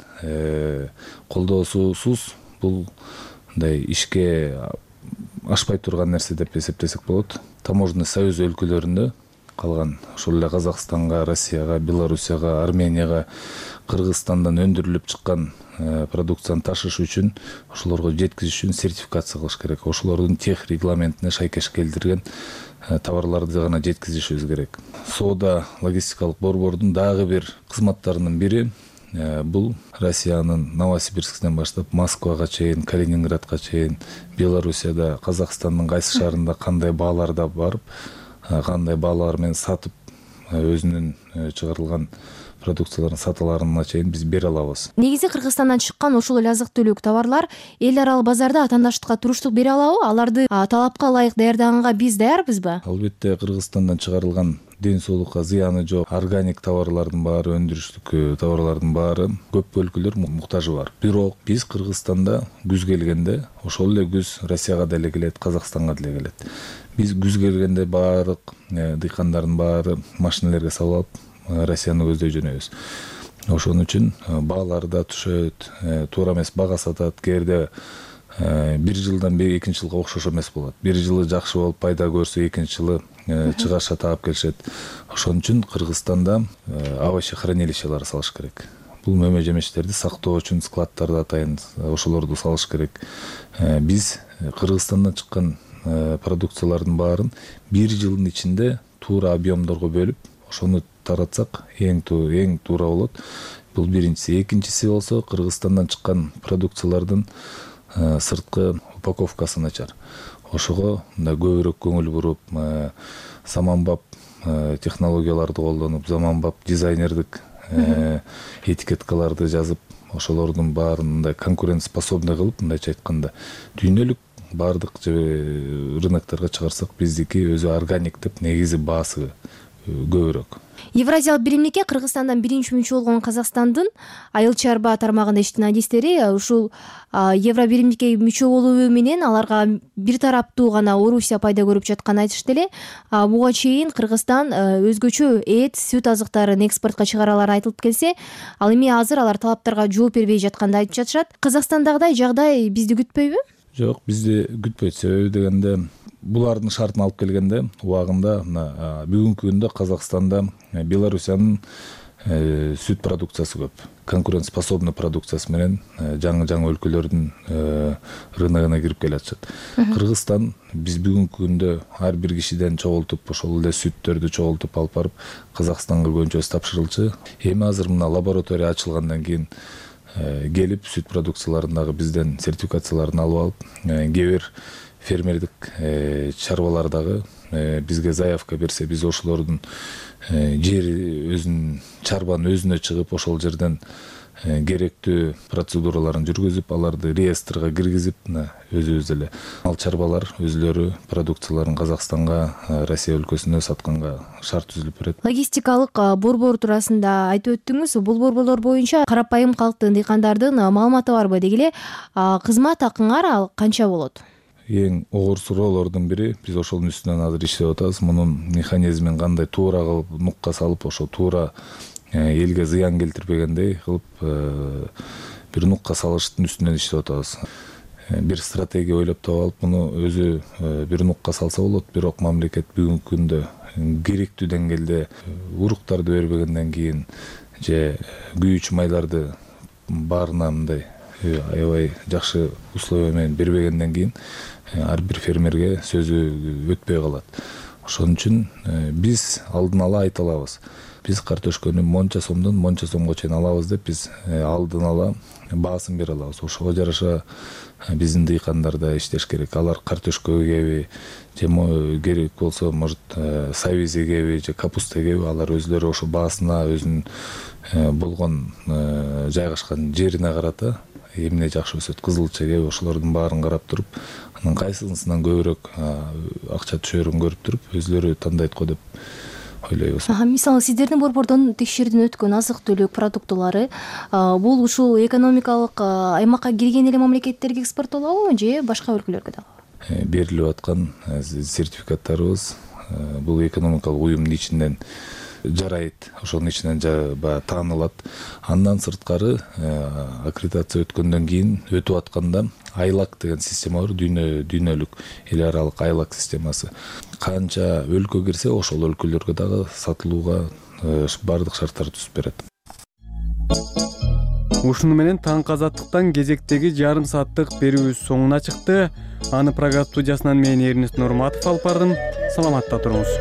колдоосусуз бул мындай ишке ашпай турган нерсе деп эсептесек болот. Таможенный союз өлкөлөрүндө калган ошол эле Казакстанга, Россияга, Белоруссияга, Арменияга, Кыргызстандан өндүрүлүп чыккан продукцияны ташыш үчүн, ошолорго жеткизиш үчүн сертификация кылыш керек. Ошолордун тех регламентине шайкеш келтирген товарларды гана жеткизишибиз керек. Соода логистикалык борбордун дагы бир кызматтарынын бири бул Россиянын Новосибирскиден баштап Москвага чейин, Калининградка чейин, Белоруссияда, Казакстандын кайсы шаарында кандай бааларда барып, кандай баалар менен сатып, өзүнүн чыгарылган продукцияларын саталарына чейин биз бере алабыз.
Негизи Кыргызстандан чыккан ошол эле азык-түлүк товарлар эл аралык базарда атаандаштыкка туруштук бере алабы? Аларды талапка ылайык даярдаганга биз даярбызбы?
Албетте, Кыргызстандан чыгарылган ден соолукка зыяны жок органик товарлардын баары, өндүрүштүк товарлардын баары көп өлкөлөр муктажы бар. Бирок биз Кыргызстанда күз келгенде ошол эле күз Россияга деле келет, Казакстанга деле келет. Биз күз келгенде баардык дыйкандардын баары машиналерге салып алып Россияны көздөй жөнөбүз. Ошон үчүн баалары да түшөт, туура эмес бага сатат. Кээде бир жылдан бери экинчи жылга окшош эмес болот. Бир жылы жакшы болуп пайда көрсө, экинчи жылы чыгаша таап келишет. Ошон үчүн Кыргызстанда овощехранилищелер салыш керек. Бул мөмө жемиштерди сактоо үчүн складдарды атайын ошолорду салыш керек. Биз Кыргызстандан чыккан продукциялардын баарын бир жылдын ичинде туура объемдорго бөлүп, ошону таратсак эң туура болот. Бул биринчиси. Экинчиси болсо Кыргызстандан чыккан продукциялардын сырткы упаковкасы начар. Ошого мындай көбүрөөк көңүл буруп, заманбап технологияларды колдонуп, заманбап дизайнердик этикеткаларды жазып, ошолордун баарын мындай конкурентоспособный кылып, мындайча айтканда, дүйнөлүк баардык рынокторго чыгарсак, биздики өзү органик деп негизи баасы көбүрөөк.
Евразиялык биримдикке Кыргызстандан биринчи мүчө болгон Казакстандын айыл чарба тармагында иштеген адистери ушул Евро биримдикке мүчө болуу менен аларга бир тараптуу гана Орусия пайда көрүп жатканын айтышты эле. Буга чейин Кыргызстан өзгөчө эт, сүт азыктарын экспортко чыгаралары айтылып келсе, ал эми азыр алар талаптарга жооп бербей жатканын айтып жатышат. Казакстандагыдай жагдай бизди күтпөйбү?
Жок, бизди күтпөйт. Себеби дегенде булардын шартын алып келгенде убагында бүгүнкү күндө Казакстанда Белоруссиянын сүт продукциясы көп. Конкурентоспособный продукциясы менен жаңы өлкөлөрдүн рыногуна кирип келатышат. Кыргызстан биз бүгүнкү күндө ар бир кишиден чогултуп, ошол эле сүттөрдү чогултуп алып барып Казакстанга көбүнчөсү тапшырылчу. Эми азыр мына лаборатория ачылгандан кийин келип сүт продукцияларын дагы бизден сертификацияларын алып алып, кээ бир фермердик чарбалар дагы бизге заявка берсе, биз ошолордун жери өзүнүн чарбанын өзүнө чыгып, ошол жерден керектүү процедураларын жүргүзүп, аларды реестрге киргизип, өзүбүз эле ал чарбалар өзүлөрү продукцияларын Казакстанга, Россия өлкөсүнө сатканга шарт түзүлүп берет.
Логистикалык борбор туурасында айтып өттүңүз. Бул борборлор боюнча карапайым калктын, дыйкандардын маалыматы барбы? Деги эле кызмат акыңар ал канча болот?
Эң оор суроолордун бири, биз ошонун үстүнөн азыр иштеп атабыз. Мунун механизмин кандай туура кылып нукка салып, ошо туура элге зыян келтирбегендей кылып бир нукка салыштын үстүнөн иштеп атабыз. Бир стратегия ойлоп таап алып, муну өзү бир нукка салса болот. Бирок мамлекет бүгүнкү күндө керектүү деңгээлде уруктарды бербегенден кийин же күйүүчү майларды баарына мындай аябай жакшы условия менен бербегенден кийин ар бир фермерге сөзү өтпөй калат. Ошон үчүн биз алдын ала айта алабыз. Биз картошкөнү монча сомдон монча сомго чейин алабыз деп биз алдын ала баасын бере алабыз. Ошого жараша биздин дыйкандар да иштеш керек. Алар картошка эгеби же керек болсо, может, сабиз эгеби же капуста эгеби, алар өзүлөрү ошо баасына өзүнүн болгон жайгашкан жерине карата эмне жакшы өсөт, кызылчеге, ошолордун баарын карап туруп, анан кайсысынан көбүрөөк акча түшөрүн көрүп туруп, өзлөрү тандайт го деп ойлойбуз.
Мисалы сиздердин борбордон текшерүүдөн өткөн азык түлүк продуктулары бул ушул экономикалык аймакка кирген эле мамлекеттерге экспорттолобу же башка өлкөлөргө дагы?
Берилип аткан сертификаттарыбыз бул экономикалык уюмдун ичинен жарайт, ошонун ичинен таанылат. Андан сырткары аккредитация өткөндөн кийин өтүп атканда айлак деген система бар, дүйнөлүк эл аралык айлак системасы. Канча өлкө кирсе, ошол өлкөлөргө дагы сатылууга бардык шарттар түзүп берет.
Ушуну менен таңкы азаттыктан кезектеги жарым сааттык берүүбүз соңуна чыкты. Аны программа студиясынан мен Эрнест Нурматов алып бардым. Саламатта туруңуз.